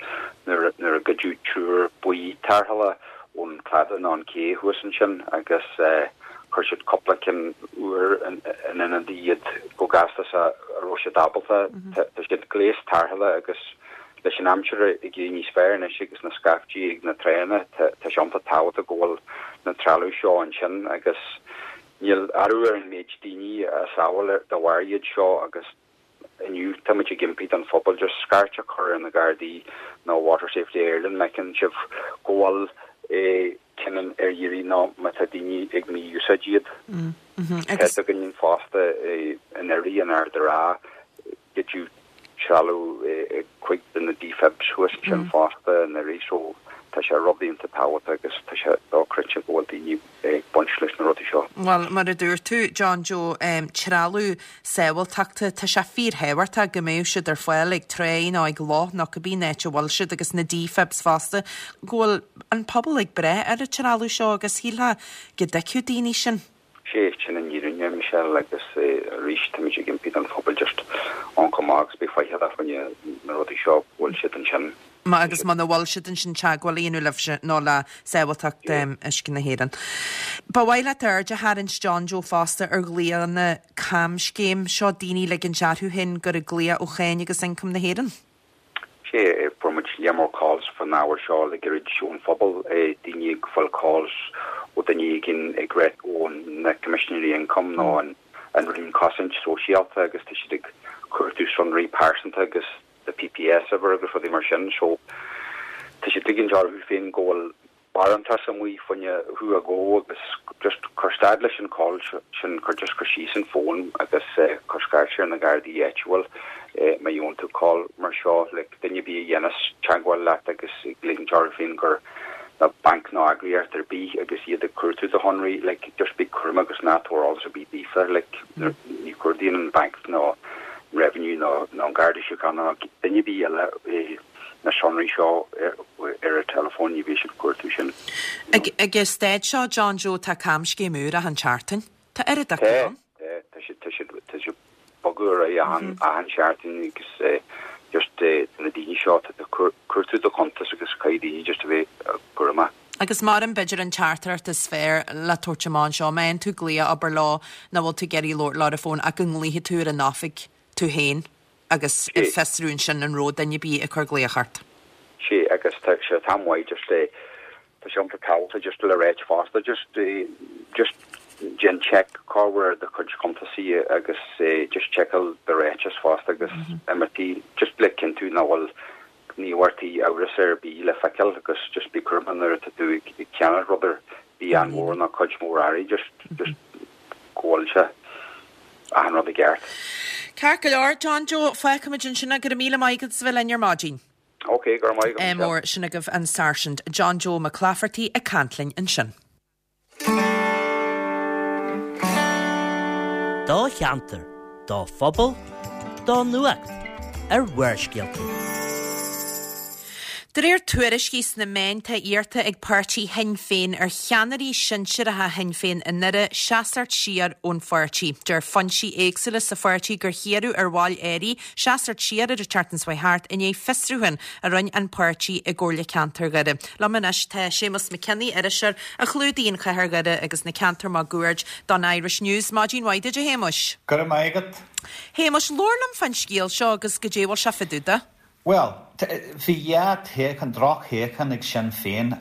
nuair a goideadh triúr baoi tarrthála ón cladach nó an cé thuas ansin agus chuir siad cúpla ceann úr in ionad iad chomh gasta is a raibh siad ábalta. Tá siad gléas tarrthála agus leis an aimsir ag éirí níos fearr anois agus na scaifte ag na tránna, tá sé iontach tábhachtach go bhfuil na trealamh seo ansin agus níl athrú ar an méid daoine a sábháil de bharr iad seo agus inniu táimid ag impí don phobal just scairt a chur ar na Gardaí nó Water Safety Ireland má fheiceann sibh go bhfuil ceann ar iarraidh nó má tá daoine ag mí-úsáid iad. Tá fhios againn fosta in Iraidh in Ard an Rátha goideadh trealamh cuid de na defibs thuas ansin fosta in Iraidh so tá sé rud iontach tábhachtach agus tá sé dochreidte go bhfuil daoine ag baint leis na rudaí seo. Bhuel, mar a dúirt tú, John Joe, trealamh sábháilteachta, tá sé fíorthábhachtach go mbeadh siad ar fáil ag tráigh nó ag loch nó cibé áit a bhfuil siad agus na defibs fosta, go bhfuil an pobal ag brath ar an trealamh seo agus shílfeá go dtuigfeadh daoine sin. Sé sin an fhírinne, Michelle, agus arís táimid ag impí don phobal just amharc amach agus bí faichilleach fá choinne na rudaí seo, go bhfuil siad ansin. Agus muna bhfuil siad ansin teagmháil a dhéanamh libhse nó le Sábháilteacht Uisce na hÉireann. Ba mhaith leat aird a tharraingt John Joe fosta ar ghlaonna camscéim seo daoine ag ligint orthu féin gur ag glaoch ó Cháin agus Ioncam na hÉireann. Sé, fuair muid lear mór calls fan ábhar seo le gairid ón phobal, daoine ag fáil calls ó duine éigin ag rá ó na Coimisinéirí Ioncaim nó an Roinn Cosaint Sóisialta agus tá siad ag cuartú sonraí pearsanta agus do P P S uimhir agus rudaí mar sin so tá siad ag ligint orthu féin go bhfuil barántas amuigh fá choinne thú a ghabh agus just cuir stad leis an call sin, cuir just cuir síos an fón agus cuir scairt ar na Gardaí áitiúil má gheobhann tú call mar seo like duine ar bith a dhéanas teagmháil leat agus ag ligint orthu féin gur nó banc nó eagraíocht ar bith agus iad ag cuartú do shonraí like just bí cúramach agus ná tabhair eolas ar bith daofa like ní chuardaíonn an banc nó Revenue nó nó an Garda Síochána nó duine ar bith eile na sonraí seo ar an teileafón ní bheidh siad ag cuartú sin. Ag an staid seo John Joe tá camscéim úr achan tseachtain. Tá oiread acu ann. Tá tá siad tá siad tá siad bogadh ar aghaidh achan achan seachtain agus just na daoine seo tá cuartú do chuntas agus caithfidh daoine just a bheith cúramach. Agus mar an b'fhéidir an teachtaireacht is fearr le tabhairt amach anseo, má fhaigheann tú glaoch abair leo nach bhfuil tú ag iarraidh labhairt leo ar an bhfón ach go nglaofaidh tú ar an oifig tú féin agus ag fiosrú ansin an raibh duine ar bith ag cur glaoch ort. Sé agus tá sé tá mhaith just é tá sé iontach tábhachtach just le ráit fosta just just déan check cá bhfuil do chuid cuntasaí agus just checkáil do ráiteas fosta agus imeachtaí just le cinntiú nach bhfuil gníomharthaí amhras ar bith le feiceáil agus just bí cúramach nuair atá tú ag ceannach rud ar bith an-mhór nó cuid mhór earraí just just go bhfuil sé achan rud i gceart. Ceart go leor, John Joe, fágfaimid ansin é, go raibh míle maith agat as a bheith linn ar maidin. Ok, go raibh maith agat. Mór, sin agaibh an Sáirsint John Joe Mac Laifeartaigh ag caint linn ansin. Do cheantar, do phobal, do nuacht ar Bharrscéalta. De réir tuairiscí sna meáin tá iarrta ag páirtí Shinn Féin ar cheannairí sinsearacha Shinn Féin i nDoire seasacht siar ón pháirtí. Deir foinsí éagsúla sa pháirtí gur hiarradh ar bhaill áirithe seasacht siar ar an tseachtain seo thart i ndiaidh fiosrúchán a rinne an páirtí i gComhairle Ceantair Dhoire. Liom anois tá Séamus Mac Cionnaith, iriseoir a chlúdaíonn Cathair Dhoire agus na ceantair máguaird don Irish News. Maidin mhaith duit a Shéamuis. Go raibh maith agat. Shéamuis, labhair liom fán scéal seo agus goidé a bhfuil sé fá dtaobh de. Bhuel, bhí dhá toghchán, droch-thoghchán ag Sinn Féin,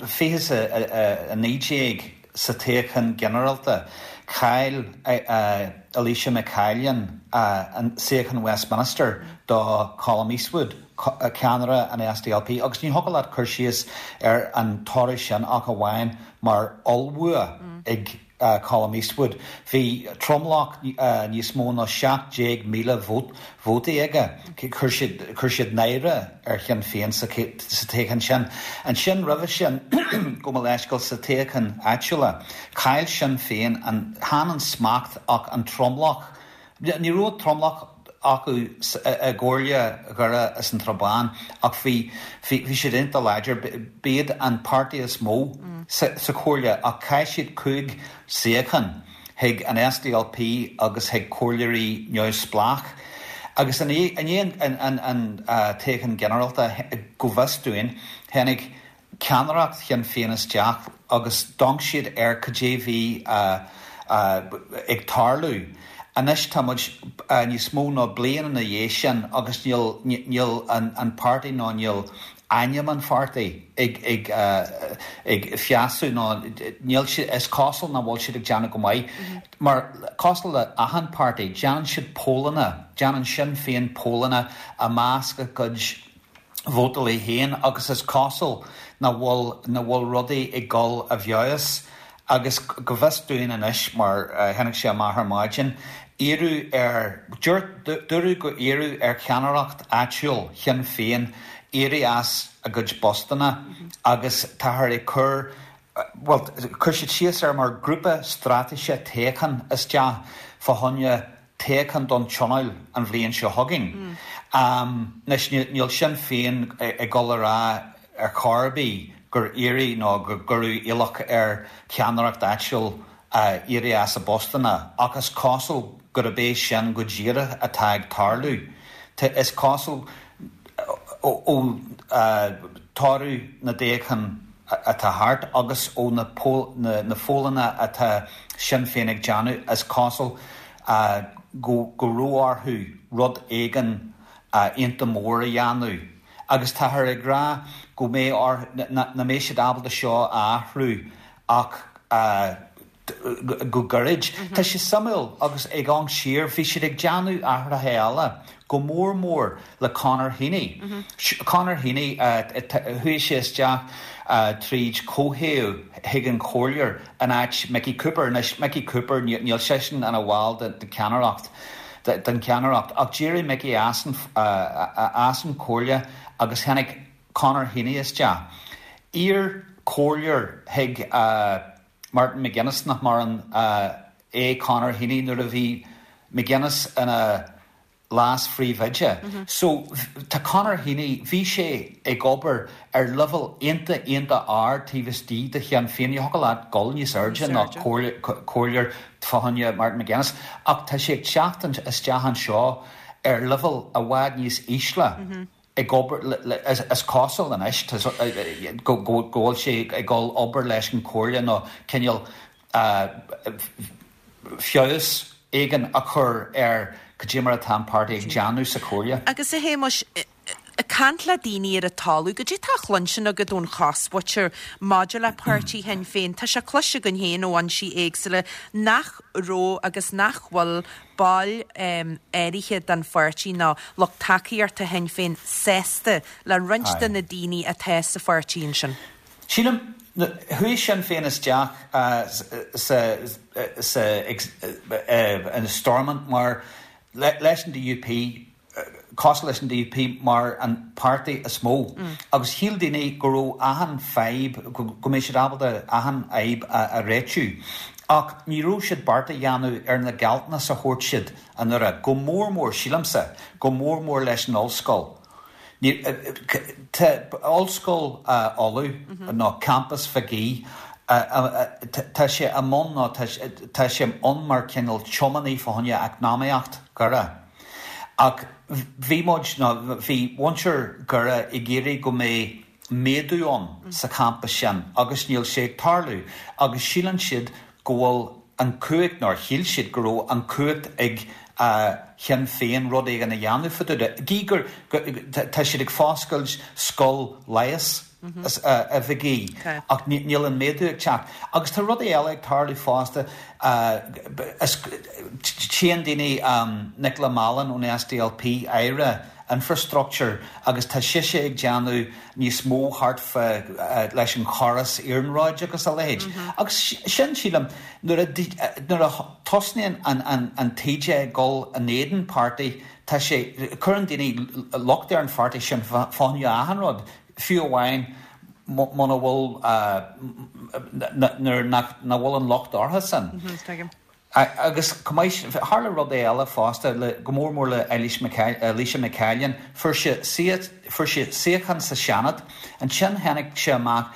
fiche is a naoi déag sa toghchán ginearálta. Chaill Eilíse McCallion an suíochán Westminster do Colum Eastwood, ceannaire an SDLP, agus ní thiocfadh leat cur síos ar an toradh sin ach amháin mar ollbhua ag Colum Eastwood. Bhí tromlach níos mó ná seacht déag míle vótaí aige. Chuir siad chuir siad náire ar Shinn Féin sa toghchán sin. Ansin roimhe sin, gabh mo leithscéal, sa toghchán áitiúla, chaill Sinn Féin an, chan an smacht ach an tromlach. Ní raibh tromlach acu i gComhairle Dhoire is an Tsrath Báin ach bhí bhí siad iontach láidir. B'iad an páirtí is mó sa chomhairle ach chaill siad cúig suíochán chuig an SDLP agus chuig comhairleoirí neamhspleách. Agus i ndiaidh an toghchán ginearálta, go bhfios dúinn, tháinig ceannaireacht Shinn Féin isteach agus d'amharc siad ar cad é bhí ag tarlú. Anois tá muid níos mó ná bliain ina dhiaidh sin agus níl níl an páirtí nó níl ainm an pháirtí ag ag ag feabhsú nó níl siad is cosúil nach bhfuil siad ag déanamh go maith. Mar cosúil le achan páirtí déanann siad pollanna, déanann Sinn Féin pollanna i measc a gcuid vótálaí féin agus is cosúil nach bhfuil nach bhfuil rudaí ag dul i bhfeabhas agus go bhfios dúinn anois mar tháinig sé amach ar maidin, iarradh ar, dúradh go iarradh ar cheannaireacht áitiúil Shinn Féin éirí as a gcuid postanna agus táthar ag cur, bhuel, chuir siad síos air mar grúpa straitéise toghcháin isteach fá choinne toghchán don Tionól an bhliain seo chugainn. Anois, níl Sinn Féin ag dul a rá ar chor ar bith gur iarradh nó gur cuireadh iallach ar cheannaireacht áitiúil éirí as a bpostanna, ach is cosúil gurb é sin go díreach atá ag tarlú. Is cosúil ó toradh na dtoghchán atá thart agus ó na pollanna atá Sinn Féin ag déanamh, is cosúil go raibh orthu rud éigin iontach mór a dhéanamh agus táthar ag rá go mbeidh orthu, nach mbeidh siad ábalta seo a athrú ach go gairid. Tá sé suimiúil agus ag amharc siar, bhí siad ag déanamh athruithe eile, go mór mór le Conor Heaney. Conor Heaney, chuaigh sé isteach tríd comhthaobh chuig an chomhairleoir in áit Mickey Cooper. Anois, Mickey Cooper, níl seisean ina bhall den cheannaireacht, den cheannaireacht, ach d'éirigh Mickey as an, as an chomhairle agus tháinig Conor Heaney isteach. Iar-chomhairleoir chuig Martin McGuinness, nach maireann, é Conor Heaney nuair a bhí McGuinness ina leas-phríomhoide. So, tá Conor Heaney, bhí sé ag obair ar leibhéal iontach, iontach ard taobh istigh de Shinn Féin. Ní thiocfadh leat dul níos airde ná comhairleoir fá choinne Martin McGuinness. Ach tá sé ag teacht isteach anseo ar leibhéal i bhfad níos ísle ag obair le, is cosúil anois, go bhfuil sé ag dul obair leis an chomhairle nó cineál feabhas éigin a chur ar cad é mar atá an páirtí ag déanamh sa chomhairle. Agus a Shéamuis, ag caint le daoine ar an talamh, goidé tá á chluinstin agat ón chosmhuintir maidir le páirtí Shinn Féin? Tá sé cloiste againn féin ó fhoinsí éagsúla nach raibh agus nach bhfuil baill áirithe den pháirtí nó lucht tacaíochta Shinn Féin sásta le roinnt de na daoine atá sa pháirtí ansin. Sílim, chuaigh Sinn Féin isteach sa sa in Stormont mar leis an DUP, cosúil leis an DUP mar an páirtí is mó agus shíl daoine go raibh achan fadhb, go mbeidh siad ábalta achan fhadhb a réitiú. Ach ní raibh siad beart a dhéanamh ar na gealltanais a thabhairt siad anuraidh, go mór mór, sílimse, go mór mór leis an ollscoil. Tá Ollscoil Uladh nó Campas Mhig Aoidh, tá sé i mbun nó tá sé ann mar cineál tiománaí fá choinne eacnamaíocht Dhoire. Ach bhí muid, nó bhí muintir Dhoire ag iarraidh go mbeidh méadú ann sa champas sin agus níl sé ag tarlú agus síleann siad go bhfuil an chumhacht, nó shíl siad go raibh an chumhacht ag Shinn Féin rud éigin a dhéanamh fá dtaobh de. Gí gur tá siad ag foscailt scoil leighis i Mhig Aoidh ach níl an méadú ag teacht. Agus tá rudaí eile ag tarlú fosta. Tchíonn daoine Nicola Mallon ón SDLP, Aire Infrastructure, agus tá sise ag déanamh níos mó thart fá leis an chóras iarnróid agus a leithéid. Agus sin, sílim, nuair a nuair a tosnaíonn an an taoide ag dul in éadan páirtí, tá sé, cuireann daoine locht ar an pháirtí sin fá choinne achan rud, fiú amháin muna bhfuil nuair nach bhfuil an locht orthu san. Agus chomh maith, tharla rudaí eile fosta, le, go mór mór le Eilís Eilíse McCallion. Fuair sí, fuair sí suíochán sa Seanad. Ansin tháinig sé amach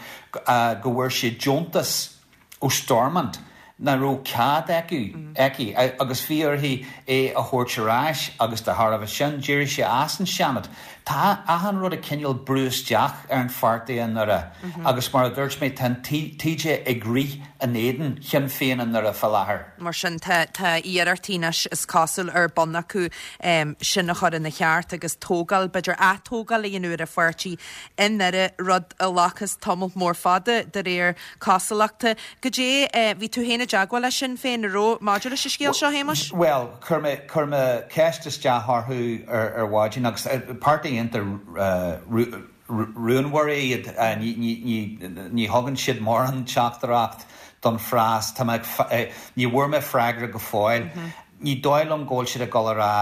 go bhfuair sí deontas ó Stormont nach raibh cead aici, aici agus bhí uirthi é a thabhairt ar ais agus de thairbhe sin d'éirigh sí as an Seanad. Tá achan rud ag cineál brú isteach ar an pháirtí i nDoire agus mar a dúirt mé tá an taoide ag rith in éadan Shinn Féin i nDoire fá láthair. Mar sin tá tá iarrachtaí anois is cosúil ar bun acu sin a chur ina cheart agus tógáil, b'fhéidir atógáil a dhéanamh ar an pháirtí i nDoire, rud a ghlacfas tamall mór fada de réir cosúlachta. Goidé, bhí tú féin i dteagmháil le Sinn Féin, an raibh, maidir leis an scéal seo, a Shéamais? Bhuel, chuir mé, chuir mé ceist isteach orthu ar, ar mhaidin agus páirtí iontach rúnmhar iad, ní, ní, ní, ní thugann siad mórán teachtaireacht don phreas, tá mé, ní bhfuair mé freagra go fóill. Ní dóigh liom go bhfuil siad ag dul a rá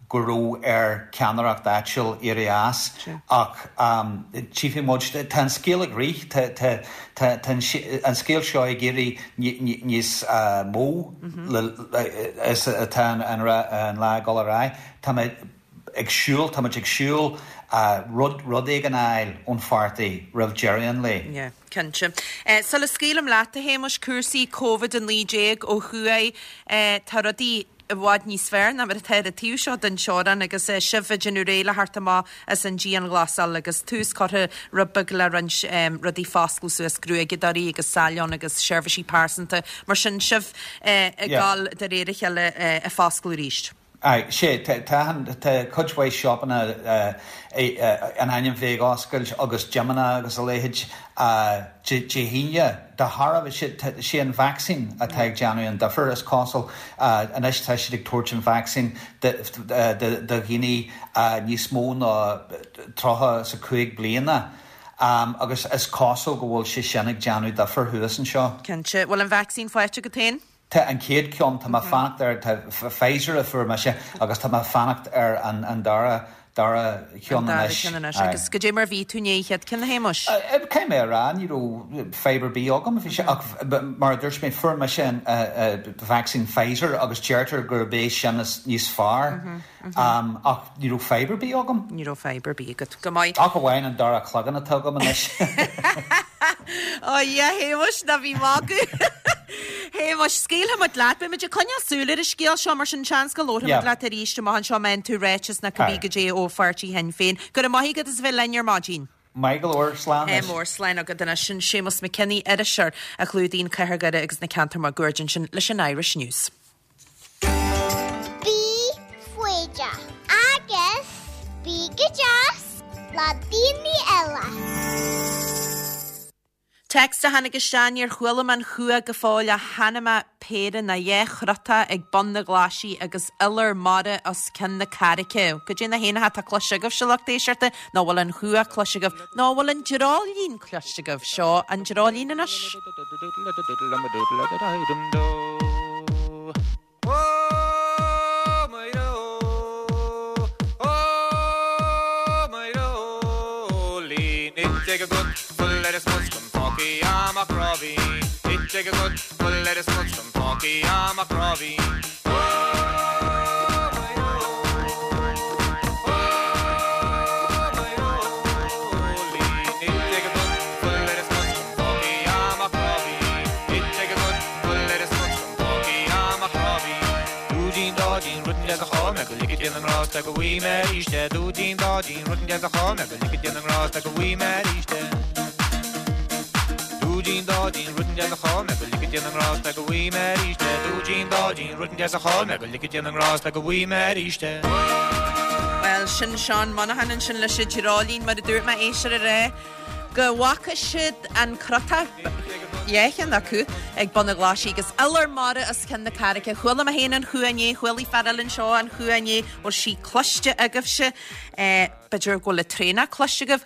go raibh ar ceannaireacht áitiúil éirí as ach tchífidh muid. Tá an scéal ag rith, tá an scéal seo ag éirí níos mó is atá an lá ag dul ar aghaidh. Tá mé ag siúl, tá muid ag siúl rud rud éigin a fháil ón pháirtí roimh deireadh an lae. Yeah, cinnte. Sula scaoilim leat, a Shéamais, cúrsaí Covid a naoi déag ó thuaidh, tá rudaí i bhfad níos fearr ná mar atá ar an taobh seo den teorainn agus sibh ag déanamh réidh le theacht amach as an dianghlasáil agus tús curtha rud beag le roinnt rudaí foscladh suas, gruaigeadóirí agus salon agus seirbhísí pearsanta mar sin, sibh ag dul de réir a chéile ag foscladh arís. Aye, sé, tá tá cuid mhaith siopanna in ainm bheith ag oscailt agus gymeanna agus a leithéid Dé hAoine. De thairbhe, sé an vacsaín atá ag déanamh an difear, is cosúil. Anois tá siad ag tabhairt an vacsaín do dhaoine níos mó ná tríocha is a cúig bliana agus is cosúil go bhfuil sé sin ag déanamh difear thuas anseo. Cinnte. Bhfuil an vacsaín faighte agat féin? Tá an chéad cheann, tá mé ag fanacht ar, tá Pfizer a fuair mise agus tá mé ag fanacht ar an dara, dara cheann An dara anois. ceann anois. Aye. Agus goidé mar a bhí tú i ndiaidh an chéad ceann, a Shéamais? Caithfidh mé a rá, ní raibh fadhb ar bith agam, bhí sé, ach mar a dúirt mé, fuair mise an vacsaín Pfizer agus deirtear gurb é sin is níos fearr, ach ní raibh fadhb ar bith agam. Ní raibh fadhb ar bith agat. Go maith. Ach amháin an dara cloigeann atá agam anois. Ó a Shéamais, ná bí ag magadh. Shéamais, scaoilfidh muid leat. Beidh muid ag coinneáil súil ar an scéal seo, mar sin seans go labharfaidh muid leat arís amach anseo má fhaigheann tú ráiteas nó cibé goidé ó pháirtí Shinn Féin. Go raibh maith agat as a bheith linn ar maidin. Maith go leor, slán Ádh anois. mór, slán agat anois. Sin Séamus McKinney, iriseoir a chlúdaíonn Cathair Dhoire agus na ceantair máguaird ansin leis an Irish News. Bí foighdeach agus bí go deas le daoine eile. Text a tháinig isteach níor chuala mé an chumha go fóill ach chonaic mé péire nó dhá chrotach ag bun na glaisí agus iolar mara os cionn na carraice. Goidé na héanacha atá cloiste agaibhse lucht éisteachta nó bhfuil an chumha cloiste agaibh nó bhfuil an dreoilín cloiste agaibh seo an dreoilín anois. Bhuel, sin Seán Monaghan ansin leis an dreoilín mar a dúirt mé éisteoir aréir go bhfaca siad an crotach dhá cheann acu ag bun na glaisí agus iolar mara os cionn na carraice. Chuala mé féin an chumha inné, chuala fear eile anseo an chumha inné, bhfuil sí cloiste agaibhse. Eh, b'fhéidir go bhfuil an traonach cloiste agaibh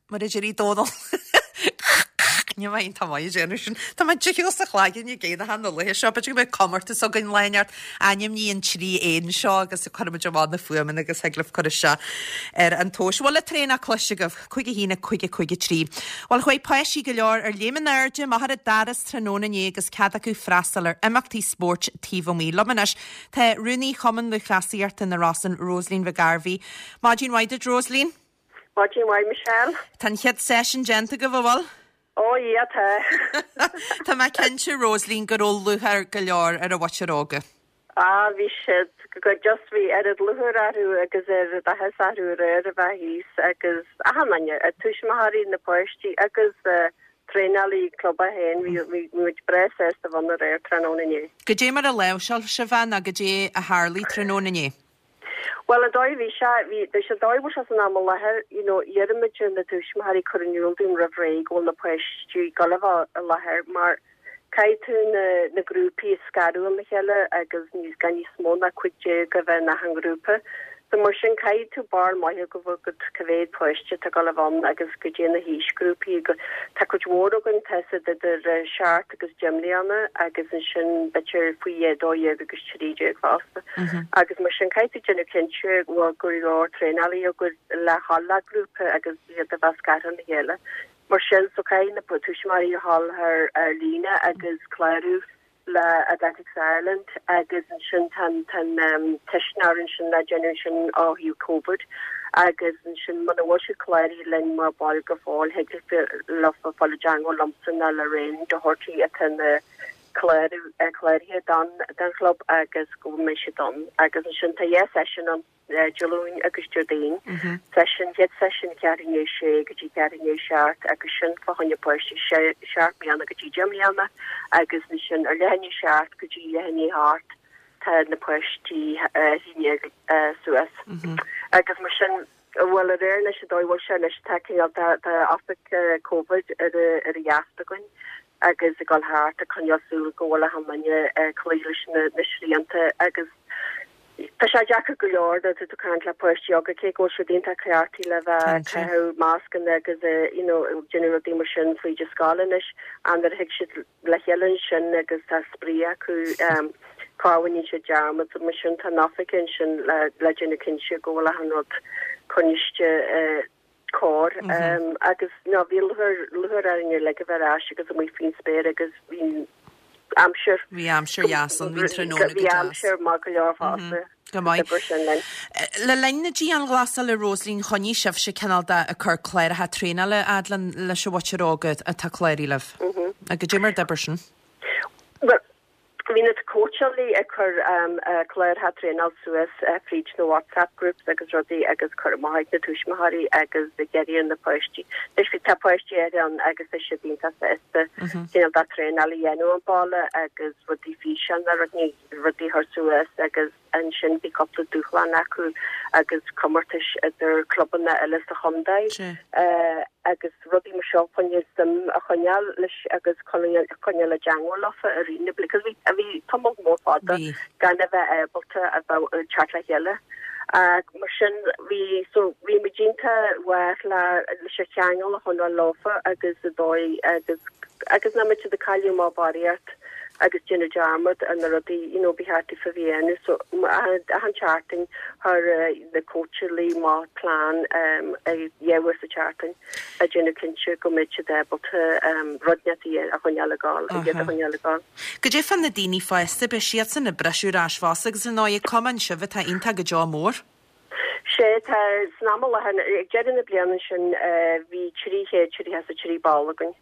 mar a deir Dónal. Ní mé tá maith déanamh sin. Tá mé difriúil sa chlaigeann i gcéad na laethe seo, b'fhéidir go mbeidh comórtas againn lá inteacht ainmnigh an trí éan seo agus cuirfimid amach na fuaimeanna agus thig libh cur isteach ar an tomhas. Bhfuil an traonach cloiste agaibh cúig a haon a cúig a cúig a trí. Bhuel chuaigh páistí go leor ar léim in airde amach ar an doras tráthnóna inné agus cead acu freastal ar imeachtaí spóirt taobh amuigh. Liom anois tá rúnaí Chumann Lúthchleasaíochta na Rosann Rosaleen McGarvey. Maidin mhaith duit Rosaleen? Maidin mhaith Michelle. Tá an chéad session déanta agaibh an bhfuil? Ó yeah tá. Tá mé cinnte Rosaleen go raibh lúcháir go leor ar an mhuintir óga. Ah bhí siad go just bhí oiread lúcháir orthu agus oiread áthas orthu aréir a bheith thíos agus achan duine, a tuismitheoirí na páistí agus uh, traenálaí club a haon bhí bhí muid breá sásta bheith ann aréir tráthnóna inné. Goidé mar a láimhseáil sibh é nó goidé a tharlaigh tráthnóna inné. Well an dóigh bhí sé bhí sé an dóigh bhfuil sé san am i láthair you know iarraimid ar na tuismitheoirí cur in iúl dúinn roimh ré go bhfuil na páistí ag dul a bheith i láthair mar caithfidh tú na na grúpaí a scaradh óna chéile agus níos gan níos mó ná cúig déag a bheith in achan grúpa. So mar sin caithfidh tú barúil maith go bhfuil go cá mhéad páiste atá ag dul a bheith ann agus goidé na haoisghrúpaí go tá cuid mhór againn tá siad idir eh, seacht agus deich mbliana agus ansin b'fhéidir faoi dó dhéag agus trí déag fosta. Agus mar sin caithfidh tú déanamh cinnte go bhfuil go leor traenálaí agat le dhul le grúpa agus iad a bheith scartha óna chéile. Mar sin so caithfidh na tuismitheoirí a dhul ar ar líne agus clárú le Athletics Ireland agus ansin tá tá um, ceistneoir ansin le déanamh sin ó thaobh COVID agus ansin muna bhfuil siad cláraithe linn mar ball go fóill thig leofa fáil i dteagmháil liomsa nó le Lorraine Doherty atá na clárú cláraithe don don chlub agus go mbeidh siad ann agus ansin tá dhá session ann Dé Luain agus Déardaoin. Session chéad session ceathrú i ndiaidh sé go dtí ceathrú i ndiaidh seacht agus sin fá choinne páistí seacht mbliana go dtí deich mbliana agus ansin ar leath i ndiaidh seacht go dtí leath i ndiaidh a hocht tá na páistí haon déag suas. Agus mar sin bhfuil aréir leis an dóigh bhfuil sé anois tá cineál tá tá oifig COVID ar ar a dheasc againn agus ag dul thart ag coinneáil súil go bhfuil achan duine ag cloí leis na na srianta agus Tá sé deacair go leor nuair atá tú ag caint le páistí óga cé go bhfuil siad iontach cleachtaithe le bheith ag caitheamh mascanna agus you know déanamh rudaí mar sin fríd an scoil anois ach nuair a thig siad le chéile ansin agus tá spraoi acu um, cá bhaineann siad dearmad mar sin tá an oifig ansin le le déanamh cinnte go bhfuil achan rud coinnithe uh, cóir mm -hmm. um, agus ná bhí lúcháir lúcháir orainn uilig a bheith ar ais agus amuigh faoin spéir agus bhí aimsir. Bhí aimsir dheas an bhí tráthnóna go Bhí deas. aimsir maith go leor fosta. Go maith. Oibre sin linn. Le linn na dianghlasála Rosaleen choinnigh sibhse cineál de ag cur cláracha traenála fhad leis an mhuintir óg atá cláraithe libh. Agus goidé mar d'oibrigh sin. Well, bhí na cóitseálaí ag cur um, uh, cláracha traenála suas uh, fríd na WhatsApp groups agus rudaí agus cur amach ag na tuismitheoirí agus ag iarraidh na páistí. Anois bhí tá páistí ar an agus tá siad iontach sásta cineál de traenáil a dhéanamh an baile agus rudaí físeán a rudaí rudaí a chur suas agus ansin bhí cúpla dúshlán acu agus comórtais idir clubanna eile sa chontae agus rudaí mar seo chun suim a choinneáil leis agus coinneáil i dteagmháil leofa i rith na bliana because bhí bhí tamall mór fada gan a bheith ábalta a bheith ag teacht le chéile. Mar sin bhí so bhí muid iontach mhaith le leis an cheangal a choinneáil leofa agus a dóigh agus agus nach mbeadh siad ag cailleadh amach barraíocht agus déanamh dearmad ar na rudaí you know ba cheart daofa a bheith a dhéanamh so achan tseachtain chuir na cóitseálaí amach plean dhá uair sa tseachtain a déanamh cinnte go mbeidh siad ábalta rud inteacht a choinneáil ag gabháil iad a choinneáil ag gabháil. Goidé fá na daoine fásta, beidh siadsan ag briseadh ar ais fosta agus ar ndóigh cumann sibh atá iontach go deo mór. Sé tá san am i láthair ag deireadh na bliana sin bhí trí chéad tríocha is a trí ball againn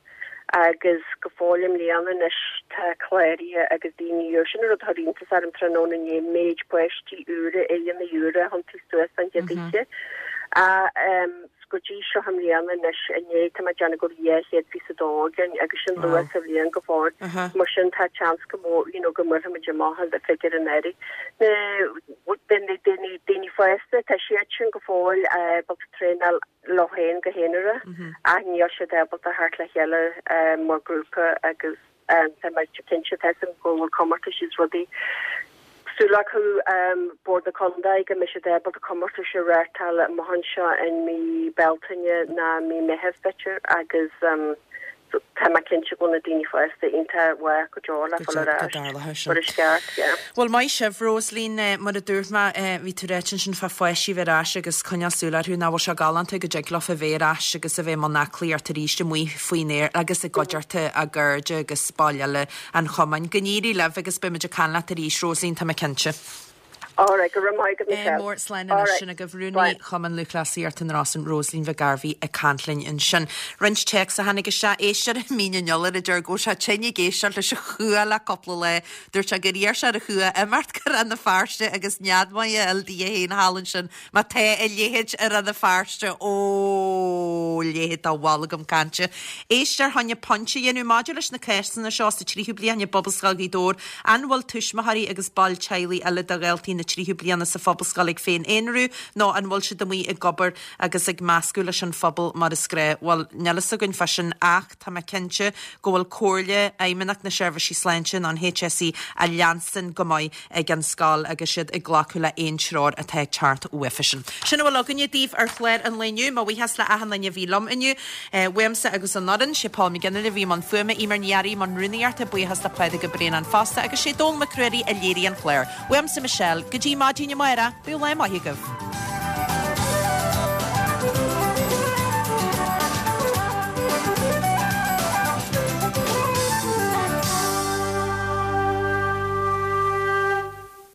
agus go fóill i mbliana anois tá cláraithe agus daoine úr. Sin an rud a chuir iontas orm tráthnóna inné, méid páistí úra, aghaidheanna úra a thiontaigh suas an chéad oíche. Go dtí seo i mbliana anois inné tá mé ag déanamh go raibh dhá chéad fiche a dó againn agus sin luath sa bhliain go fóill. Mar sin tá seans go mór you know go mbuailfimid amach an figiúr in airde. Na daoine daoine fásta tá siad sin go fóill ábalta traenáil leo féin go haonarach ach níl siad ábalta theacht le chéile mar ghrúpa agus tá mé cinnte tá go bhfuil comórtais is rudaí súil acu Bord na Contae go mbeidh siad ábalta comórtais a reáchtáil amach anseo in mí Bealtaine ná mí Meitheamh b'fhéidir agus tá mé cinnte go bhfuil na daoine fásta iontach mhaith go deo le fáil ar ais mar is ceart, yeah. Bhuel maith sibh, Rosaleen, mar a dúirt mé, bhí tú ráite ansin fá pháistí bheith ar ais agus coinneáil súil orthu, nach bhfuil sé galánta go dtig leofa bheith ar ais agus a bheith i mbun aclaíocht arís amuigh faoin aer agus i gcuideachta a gcairde agus baill eile an chumainn. Go n-éirí libh agus beimid ag caint leat arís, Rosaleen, tá mé cinnte. All right, go raibh maith agat, Michelle. Mór slán anois sin agaibh Rúnaí Chumann Lúthchleasaíochta na Rosann, Rosaleen Mhic Gairbhí ag caint linn ansin. Roinnt téacs a tháinig isteach, éisteoir i Mín an Iolair a deir go bhfuil sé tinn ag éisteacht leis an chua le cúpla lá. Dúirt sé gur iarr sé ar an chua imeacht go Rann na Feirste agus nead maith a fháil di féin thall ansin má tá a leithéid i Rann na Feirste. Ó, leithéid de bholgam cainte. Éisteoir fá choinne pointe a dhéanamh maidir leis na cásanna seo sa tríú bliain i bPobalscoil Ghaoth Dobhair. An bhfuil tuismitheoirí agus baill teaghlaigh eile de dhaltaí na tríú bliana sa phobalscoil ag féin-aonrú nó an bhfuil siad amuigh ag obair agus ag meascadh leis an phobal mar is gnách? Bhuel, níl fhios againn fá sin ach tá mé cinnte go bhfuil comhairle Fheidhmeannacht na Seirbhísí Sláinte nó an HSE á leanstan go maith ag an scoil agus siad ag glacadh le aon treoir atá ag teacht uafa sin. Sin a bhfuil againne daoibh ar chlár an lae inniu. Mo bhuíochas le achan duine a bhí liom inniu. Uaimse agus an fhoireann, sé Paul McGinley a bhí i mbun fuaime, Eimear Ní Fhearraigh i mbun rúnaíochta, buíochas le Pádraig Ó Braonáin fosta agus sé Dónall Mac Ruairí a léirigh an clár. Uaimse Michelle, go dtí maidin amárach, bíodh lá maith agaibh.